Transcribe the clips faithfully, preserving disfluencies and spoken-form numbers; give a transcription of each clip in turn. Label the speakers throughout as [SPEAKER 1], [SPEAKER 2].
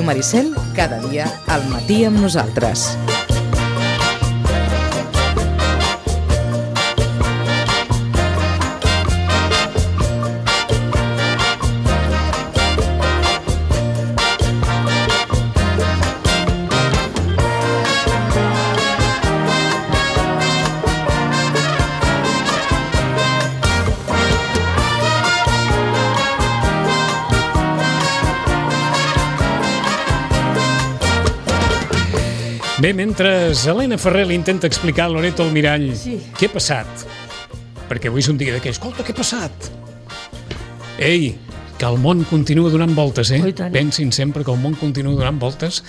[SPEAKER 1] Ràdio Maricel, cada dia al matí amb nosaltres.
[SPEAKER 2] Bé, mentre Helena Ferrer li intenta explicar a Loreto Almirall sí. què ha passat, perquè avui és un dia d'aquells, escolta, què ha passat? Ei, que el món continua donant voltes, eh? Pensin sempre que el món continua donant voltes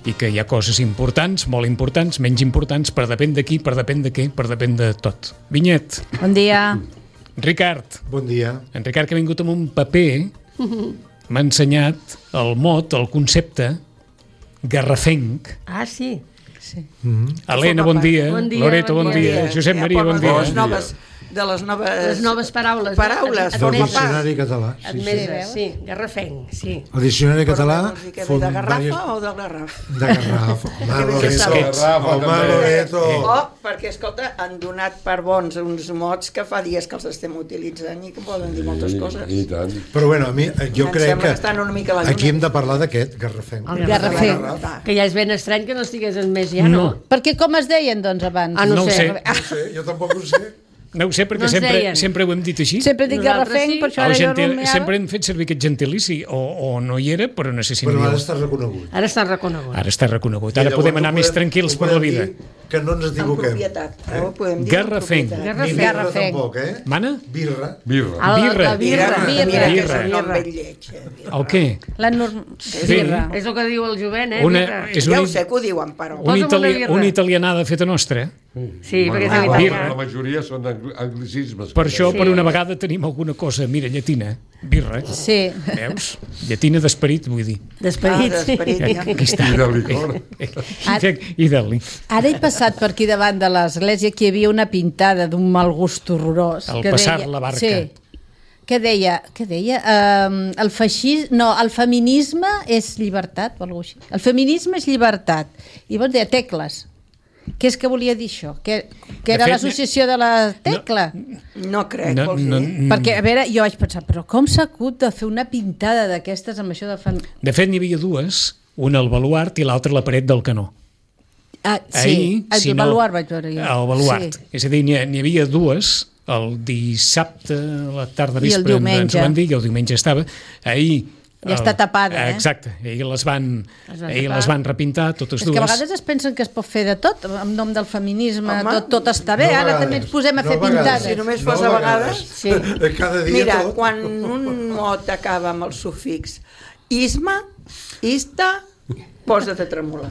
[SPEAKER 2] i que hi ha coses importants, molt importants, menys importants, per depèn de qui, per depèn de què, per depèn de tot. Vinyet.
[SPEAKER 3] Bon dia.
[SPEAKER 2] Ricard.
[SPEAKER 4] Bon dia. En
[SPEAKER 2] Ricard, que ha vingut amb un paper, m'ha ensenyat el mot, el concepte garrafenc.
[SPEAKER 3] Ah, sí. Sí.
[SPEAKER 2] Mm-hmm. Helena, bon dia.
[SPEAKER 3] Bon dia.
[SPEAKER 2] Loreto, bon, bon dia. dia. Josep Maria, bon dia.
[SPEAKER 5] Les noves, de les noves...
[SPEAKER 3] Les noves paraules.
[SPEAKER 5] Paraules.
[SPEAKER 3] Eh?
[SPEAKER 4] Del diccionari català.
[SPEAKER 3] Sí, Admeses, sí. sí. Garrafenc, sí.
[SPEAKER 4] El diccionari català...
[SPEAKER 5] De garrafa diverses... o de garraf?
[SPEAKER 4] De garraf. Home, Loreto. Home, Loreto.
[SPEAKER 5] Oh, perquè, escolta, han donat per bons uns mots que fa dies que els estem utilitzant i que poden dir moltes coses.
[SPEAKER 6] I tant.
[SPEAKER 4] Però bueno, a mi, jo
[SPEAKER 5] em
[SPEAKER 4] crec que,
[SPEAKER 5] que
[SPEAKER 4] aquí hem de parlar d'aquest, garrafenc.
[SPEAKER 3] El garrafenc. Que ja és ben estrany que no estigués en més ja, no?
[SPEAKER 7] no? Perquè com es deien, doncs, abans?
[SPEAKER 3] Ah, no,
[SPEAKER 2] no
[SPEAKER 3] ho sé.
[SPEAKER 2] sé.
[SPEAKER 4] No sé, jo tampoc ho sé.
[SPEAKER 2] No ho sé, perquè
[SPEAKER 3] no
[SPEAKER 2] sempre, sempre ho hem dit així.
[SPEAKER 7] Sempre dic garrafenc, sí. Per això ara
[SPEAKER 2] gentil,
[SPEAKER 7] jo rumiava.
[SPEAKER 2] Sempre hem fet servir aquest gentilici, o, o no hi era, però no sé si...
[SPEAKER 4] Però
[SPEAKER 2] no
[SPEAKER 4] ara està reconegut.
[SPEAKER 3] Ara està reconegut.
[SPEAKER 2] Ara està reconegut. Ara podem anar més tranquils per la vida.
[SPEAKER 4] Que no ens equivoquem.
[SPEAKER 5] Eh?
[SPEAKER 2] Garrafenc.
[SPEAKER 4] Ni birra tampoc, eh?
[SPEAKER 2] Mana?
[SPEAKER 4] Birra.
[SPEAKER 6] Birra.
[SPEAKER 2] Birra.
[SPEAKER 3] La birra.
[SPEAKER 5] Birra.
[SPEAKER 2] Birra.
[SPEAKER 5] Birra.
[SPEAKER 2] El què?
[SPEAKER 7] La norm...
[SPEAKER 3] Birra. És el que diu el jovent, eh?
[SPEAKER 2] Una,
[SPEAKER 5] és ja ho sé que ho diuen, però...
[SPEAKER 2] Una, itali una italianada feta nostra.
[SPEAKER 3] Sí, perquè és
[SPEAKER 6] italià. La majoria són anglicismes.
[SPEAKER 2] Per això, per una vegada, tenim alguna cosa, mira, llatina. Birra.
[SPEAKER 7] Sí.
[SPEAKER 2] Veus? Llatina d'esperit, vull dir.
[SPEAKER 3] D'esperit,
[SPEAKER 5] ah, d'esperit,
[SPEAKER 3] sí.
[SPEAKER 2] Aquí està.
[SPEAKER 6] I de licor.
[SPEAKER 2] I de licor.
[SPEAKER 7] Ara he passat per aquí davant de l'església que hi havia una pintada d'un mal gust horrorós.
[SPEAKER 2] Al
[SPEAKER 7] que
[SPEAKER 2] passar
[SPEAKER 7] deia,
[SPEAKER 2] la barca.
[SPEAKER 7] Sí, que deia, que deia um, el feixisme, no, el feminisme és llibertat o alguna cosa així. El feminisme és llibertat. I llavors deia tecles. Què és que volia dir això? Que, que era l'associació de la tecla?
[SPEAKER 5] No, no crec,
[SPEAKER 2] no,
[SPEAKER 5] vols dir?
[SPEAKER 2] No, no.
[SPEAKER 7] Perquè, a veure, jo vaig pensar, però com s'ha hagut de fer una pintada d'aquestes amb això de fem...
[SPEAKER 2] De fet, n'hi havia dues, una al baluart i l'altra a la paret del canó.
[SPEAKER 7] Ah, sí,
[SPEAKER 2] Ahir,
[SPEAKER 7] el
[SPEAKER 2] si
[SPEAKER 7] baluart
[SPEAKER 2] no,
[SPEAKER 7] vaig veure jo.
[SPEAKER 2] El baluart. Sí. És a dir, n'hi havia dues, el dissabte, a la tarda
[SPEAKER 7] I el
[SPEAKER 2] vespre,
[SPEAKER 7] diumenge.
[SPEAKER 2] ens ho van dir, i el diumenge estava. Ahir
[SPEAKER 7] ja el, està tapada, eh?
[SPEAKER 2] Exacte, ahir les van,
[SPEAKER 3] les van,
[SPEAKER 2] ahir les van repintar, totes
[SPEAKER 7] és
[SPEAKER 2] dues.
[SPEAKER 7] És que a vegades es pensen que es pot fer de tot, en nom del feminisme, Home, tot, tot està bé,
[SPEAKER 4] no
[SPEAKER 7] ara també ens posem a
[SPEAKER 4] no
[SPEAKER 7] fer pintades.
[SPEAKER 5] Si només fos no a vegades...
[SPEAKER 7] Sí.
[SPEAKER 4] Cada dia
[SPEAKER 5] Mira,
[SPEAKER 4] tot.
[SPEAKER 5] quan un mot acaba amb el sufix isma, ista, posa't a tremolar.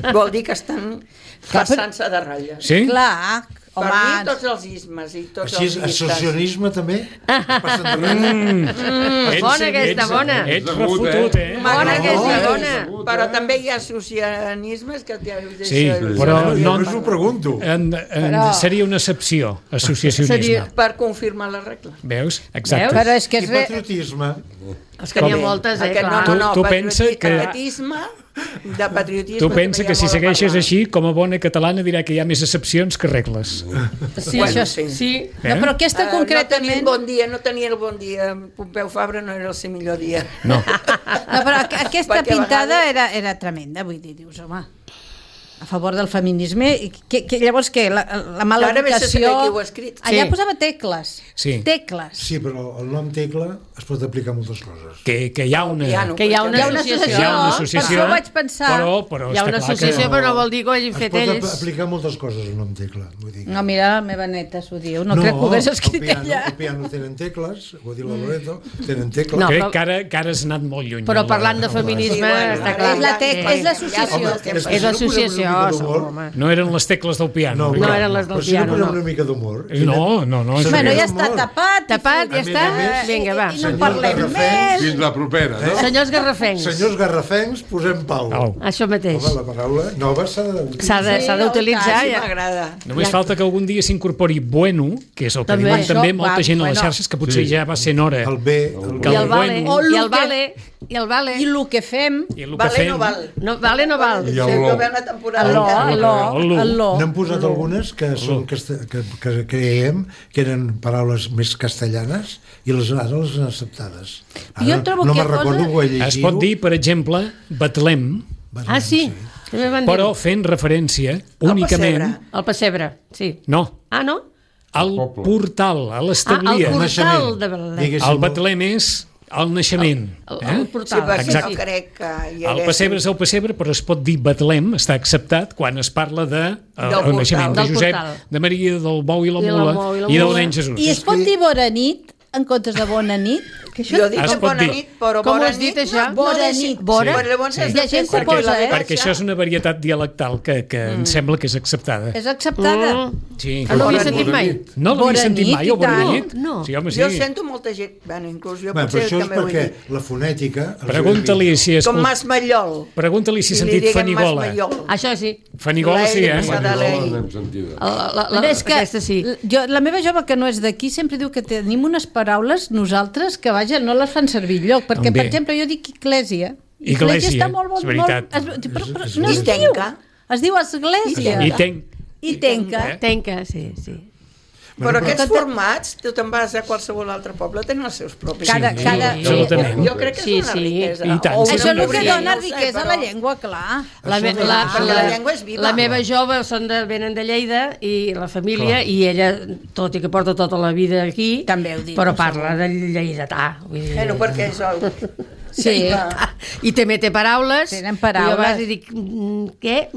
[SPEAKER 5] Vol dir que estan passant-se de ratlla.
[SPEAKER 2] Sí?
[SPEAKER 7] Clar,
[SPEAKER 5] per
[SPEAKER 7] home...
[SPEAKER 5] mi tots els ismes i tots
[SPEAKER 4] Així,
[SPEAKER 5] els istes.
[SPEAKER 4] associacionisme també? Passen de ratlla?
[SPEAKER 3] Mm, bona aquesta, bona.
[SPEAKER 2] Ets refotut, eh?
[SPEAKER 3] Bona aquesta, bona.
[SPEAKER 5] Però també hi ha associacionismes que...
[SPEAKER 2] Sí, però no...
[SPEAKER 4] No us ho pregunto.
[SPEAKER 2] En, en,
[SPEAKER 7] Però-
[SPEAKER 2] seria una excepció, associacionisme.
[SPEAKER 3] Seria-
[SPEAKER 5] Per confirmar la regla.
[SPEAKER 2] Veus? Exacte.
[SPEAKER 3] Veus?
[SPEAKER 7] Però és que
[SPEAKER 4] I
[SPEAKER 7] és re...
[SPEAKER 4] patriotisme?
[SPEAKER 3] És que n'hi ha moltes, eh?
[SPEAKER 5] Aquest,
[SPEAKER 3] Clar.
[SPEAKER 5] no, no, no,
[SPEAKER 2] Tu- tu pensa que-
[SPEAKER 5] patriotisme, de patriotisme...
[SPEAKER 2] Tu pensa
[SPEAKER 5] també hi
[SPEAKER 2] que
[SPEAKER 5] ha
[SPEAKER 2] si
[SPEAKER 5] molt a
[SPEAKER 2] segueixes
[SPEAKER 5] parlar.
[SPEAKER 2] així, com a bona catalana dirà que hi ha més excepcions que regles.
[SPEAKER 3] Sí,
[SPEAKER 5] Bueno,
[SPEAKER 3] això
[SPEAKER 5] sí.
[SPEAKER 3] sí.
[SPEAKER 2] Eh?
[SPEAKER 7] No, però aquesta
[SPEAKER 5] Eh, No
[SPEAKER 7] concretament...
[SPEAKER 5] tenien bon dia, no tenia el bon dia. Pompeu Fabra no era el seu millor dia.
[SPEAKER 2] No.
[SPEAKER 7] No, però aqu- aquesta
[SPEAKER 5] Perquè a
[SPEAKER 7] pintada
[SPEAKER 5] vegades-
[SPEAKER 7] era, era tremenda, vull dir, dius, home, a favor del feminisme, i que, que, llavors què? La, la mala
[SPEAKER 5] Ara vés a
[SPEAKER 7] educació...
[SPEAKER 5] saber qui ho ha escrit.
[SPEAKER 7] Allà
[SPEAKER 2] Sí.
[SPEAKER 7] posava tecles.
[SPEAKER 2] Sí.
[SPEAKER 7] Tecles.
[SPEAKER 4] Sí, però el nom tecla es pot aplicar a moltes coses.
[SPEAKER 2] Que, que hi ha una...
[SPEAKER 5] Piano,
[SPEAKER 3] Que hi ha una
[SPEAKER 7] Hi ha una
[SPEAKER 3] associació.
[SPEAKER 7] associació,
[SPEAKER 2] Hi ha una associació,
[SPEAKER 7] per això vaig pensar...
[SPEAKER 2] Però, però
[SPEAKER 3] Hi ha
[SPEAKER 2] està
[SPEAKER 3] una
[SPEAKER 2] clar
[SPEAKER 3] associació,
[SPEAKER 2] que...
[SPEAKER 3] però no vol dir que ho hagin
[SPEAKER 4] Es
[SPEAKER 3] fet
[SPEAKER 4] pot
[SPEAKER 3] ells.
[SPEAKER 4] aplicar a moltes coses el nom tecla. Vull dir.
[SPEAKER 7] No, mira, la meva neta s'ho diu, no, crec que ho hagués escrit
[SPEAKER 4] el piano,
[SPEAKER 7] ella.
[SPEAKER 4] el piano tenen tecles, ho ha dit la Loreto, tenen tecles.
[SPEAKER 3] No,
[SPEAKER 2] Crec
[SPEAKER 3] però-
[SPEAKER 2] que ara, que ara has anat molt lluny.
[SPEAKER 3] Però
[SPEAKER 2] la-
[SPEAKER 3] parlant de feminisme,
[SPEAKER 5] Sí, bueno,
[SPEAKER 3] està
[SPEAKER 5] ara
[SPEAKER 3] clar.
[SPEAKER 7] És la tec-
[SPEAKER 5] ja-
[SPEAKER 7] és l'associació.
[SPEAKER 5] ja- ja-
[SPEAKER 3] És l'associació. graciós,
[SPEAKER 4] d'humor.
[SPEAKER 3] home.
[SPEAKER 2] No eren les tecles del piano.
[SPEAKER 3] No eren les del
[SPEAKER 4] però si no
[SPEAKER 3] piano,
[SPEAKER 4] posem
[SPEAKER 3] no.
[SPEAKER 4] una mica d'humor.
[SPEAKER 2] No, no, no.
[SPEAKER 7] Bueno, ja
[SPEAKER 4] Humor.
[SPEAKER 7] està tapat.
[SPEAKER 3] Tapat, ja
[SPEAKER 4] A més
[SPEAKER 3] està.
[SPEAKER 4] a més,
[SPEAKER 3] Vinga, va.
[SPEAKER 7] I no
[SPEAKER 4] Senyors
[SPEAKER 7] parlem
[SPEAKER 4] garrafencs.
[SPEAKER 7] més.
[SPEAKER 6] Fins la propera, no?
[SPEAKER 3] Senyors garrafencs.
[SPEAKER 4] Senyors garrafencs, posem pau.
[SPEAKER 2] Au.
[SPEAKER 3] Això mateix.
[SPEAKER 4] Home, la paraula nova s'ha de...
[SPEAKER 3] S'ha de- s'ha d'utilitzar.
[SPEAKER 5] Sí,
[SPEAKER 3] ja.
[SPEAKER 5] m'agrada.
[SPEAKER 2] Només falta que algun dia s'incorpori bueno, que és el que
[SPEAKER 3] També.
[SPEAKER 2] diuen també
[SPEAKER 7] Això,
[SPEAKER 2] molta
[SPEAKER 7] va,
[SPEAKER 2] gent a les
[SPEAKER 7] bueno.
[SPEAKER 2] xarxes, que potser
[SPEAKER 6] Sí.
[SPEAKER 2] ja va sent hora.
[SPEAKER 4] El bé, el
[SPEAKER 2] Que
[SPEAKER 3] I
[SPEAKER 2] el
[SPEAKER 3] el vale,
[SPEAKER 2] bueno.
[SPEAKER 7] O
[SPEAKER 3] i el
[SPEAKER 7] lo que-
[SPEAKER 3] vale, i el vale.
[SPEAKER 7] I el que fem...
[SPEAKER 2] I el que
[SPEAKER 5] Vale
[SPEAKER 2] fem...
[SPEAKER 5] no val.
[SPEAKER 3] No, vale no val.
[SPEAKER 6] I
[SPEAKER 5] Si
[SPEAKER 6] el
[SPEAKER 5] no
[SPEAKER 6] lo.
[SPEAKER 5] ve una temporada...
[SPEAKER 7] El lo,
[SPEAKER 5] encara.
[SPEAKER 7] el lo,
[SPEAKER 2] El lo.
[SPEAKER 7] el lo.
[SPEAKER 4] N'hem posat algunes que, són, que, que, que creiem que eren paraules més castellanes i les, ara les han acceptades. Ara,
[SPEAKER 7] Jo trobo
[SPEAKER 4] no
[SPEAKER 7] que
[SPEAKER 4] me'n recordo,
[SPEAKER 7] cosa-
[SPEAKER 4] ho he llegit.
[SPEAKER 2] Es pot dir, per exemple, Betlem,
[SPEAKER 3] Ah, sí? També van dir.
[SPEAKER 2] però fent referència
[SPEAKER 5] Al
[SPEAKER 2] únicament...
[SPEAKER 5] pessebre.
[SPEAKER 3] El pessebre, sí.
[SPEAKER 2] No,
[SPEAKER 3] Ah, no?
[SPEAKER 2] al
[SPEAKER 6] poble.
[SPEAKER 2] portal, a
[SPEAKER 3] Ah,
[SPEAKER 2] l'establia.
[SPEAKER 3] el portal
[SPEAKER 4] naixement.
[SPEAKER 3] de Betlem.
[SPEAKER 4] Diguéssim,
[SPEAKER 2] El Betlem és el naixement.
[SPEAKER 3] El,
[SPEAKER 2] eh?
[SPEAKER 3] el
[SPEAKER 5] Sí,
[SPEAKER 3] portal.
[SPEAKER 5] perquè
[SPEAKER 2] Exacte.
[SPEAKER 5] no crec que hi
[SPEAKER 2] El
[SPEAKER 5] hagués...
[SPEAKER 2] pessebre és el pessebre, però es pot dir Betlem, està acceptat quan es parla de eh, el
[SPEAKER 5] portal.
[SPEAKER 2] naixement de
[SPEAKER 3] Del
[SPEAKER 2] Josep,
[SPEAKER 3] portal.
[SPEAKER 2] de Maria, del bou i la
[SPEAKER 3] I la
[SPEAKER 2] mula
[SPEAKER 3] mou i la
[SPEAKER 2] i del
[SPEAKER 3] mula.
[SPEAKER 2] nen Jesús.
[SPEAKER 7] I es pot dir bona nit en comptes de bona nit? Que això
[SPEAKER 5] Jo dic
[SPEAKER 2] Es
[SPEAKER 5] que
[SPEAKER 2] pot
[SPEAKER 5] bona
[SPEAKER 2] dir.
[SPEAKER 5] nit, però
[SPEAKER 3] Com ho
[SPEAKER 5] bona
[SPEAKER 3] has dit,
[SPEAKER 5] nit...
[SPEAKER 3] això?
[SPEAKER 5] no-
[SPEAKER 7] Bona
[SPEAKER 5] no deixi-
[SPEAKER 7] nit.
[SPEAKER 3] Bona?
[SPEAKER 5] Però llavors has
[SPEAKER 7] Hi
[SPEAKER 5] de
[SPEAKER 7] ha gent
[SPEAKER 5] fer
[SPEAKER 7] que posa,
[SPEAKER 5] la
[SPEAKER 7] eh?
[SPEAKER 2] Perquè això és una varietat dialectal que, que em sembla que és acceptada.
[SPEAKER 7] És acceptada.
[SPEAKER 2] Sí.
[SPEAKER 3] Ah, no havia
[SPEAKER 5] Bona
[SPEAKER 3] sentit
[SPEAKER 5] nit.
[SPEAKER 3] mai.
[SPEAKER 2] No l'havia
[SPEAKER 7] Bona
[SPEAKER 2] sentit
[SPEAKER 7] nit,
[SPEAKER 2] mai,
[SPEAKER 7] i
[SPEAKER 2] o bona
[SPEAKER 7] tant.
[SPEAKER 2] nit?
[SPEAKER 3] No.
[SPEAKER 2] Sí, home, sí.
[SPEAKER 5] Jo sento molta gent... Bueno, inclús jo
[SPEAKER 4] Bé, però
[SPEAKER 5] potser
[SPEAKER 4] això és
[SPEAKER 5] també ho he
[SPEAKER 4] perquè
[SPEAKER 5] dit.
[SPEAKER 4] la fonètica... els
[SPEAKER 2] Pregunta-li si és...
[SPEAKER 5] Com Mas Mallol.
[SPEAKER 2] Pregunta-li si ha
[SPEAKER 5] I li
[SPEAKER 2] sentit
[SPEAKER 5] diguem
[SPEAKER 2] Fanigola.
[SPEAKER 5] Mas Mallol.
[SPEAKER 3] Això sí.
[SPEAKER 2] Fanigola sí, eh?
[SPEAKER 5] La
[SPEAKER 6] Fanigola
[SPEAKER 5] Adelaide.
[SPEAKER 6] n'hem sentida.
[SPEAKER 3] La, la, la,
[SPEAKER 7] Bueno, és que
[SPEAKER 3] aquesta sí.
[SPEAKER 7] jo, la meva jove, que no és d'aquí, sempre diu que tenim unes paraules nosaltres que, vaja, no les fan servir lloc. Perquè,
[SPEAKER 2] Bé.
[SPEAKER 7] per exemple, jo dic església.
[SPEAKER 2] Església,
[SPEAKER 7] està molt bon.
[SPEAKER 2] és veritat.
[SPEAKER 7] Molt, es, però, però,
[SPEAKER 4] És-
[SPEAKER 7] no
[SPEAKER 5] I
[SPEAKER 7] es diu.
[SPEAKER 5] tenca.
[SPEAKER 7] Es diu església.
[SPEAKER 2] I tenc.
[SPEAKER 7] I tenca.
[SPEAKER 2] Eh?
[SPEAKER 3] Tenca, sí, sí.
[SPEAKER 5] Però aquests
[SPEAKER 7] però-
[SPEAKER 5] formats, tu te'n vas a qualsevol altre poble, tenen els seus propis.
[SPEAKER 7] Cada-
[SPEAKER 2] Sí,
[SPEAKER 7] cada-
[SPEAKER 2] absolutament.
[SPEAKER 5] Jo crec que és
[SPEAKER 3] Sí,
[SPEAKER 5] una
[SPEAKER 3] sí.
[SPEAKER 5] riquesa.
[SPEAKER 2] I tant,
[SPEAKER 5] O
[SPEAKER 2] sí,
[SPEAKER 5] una
[SPEAKER 7] Això és el que
[SPEAKER 5] pobrícia,
[SPEAKER 7] dona
[SPEAKER 5] no ho sé,
[SPEAKER 7] riquesa a
[SPEAKER 5] però-
[SPEAKER 7] la llengua, clar.
[SPEAKER 3] La, me,
[SPEAKER 4] Això de-
[SPEAKER 3] la,
[SPEAKER 5] perquè
[SPEAKER 3] la,
[SPEAKER 5] la llengua és viva.
[SPEAKER 3] la meva jove són de, venen de Lleida i la família, i ella, tot i que porta tota la vida aquí,
[SPEAKER 7] També ho dic,
[SPEAKER 3] però
[SPEAKER 7] no
[SPEAKER 3] parla de lleidatà. Vull dir,
[SPEAKER 5] Bueno, perquè és el...
[SPEAKER 7] Sí.
[SPEAKER 3] I també té paraules.
[SPEAKER 7] Tenen paraules.
[SPEAKER 3] I jo a vegades dic, mm, què?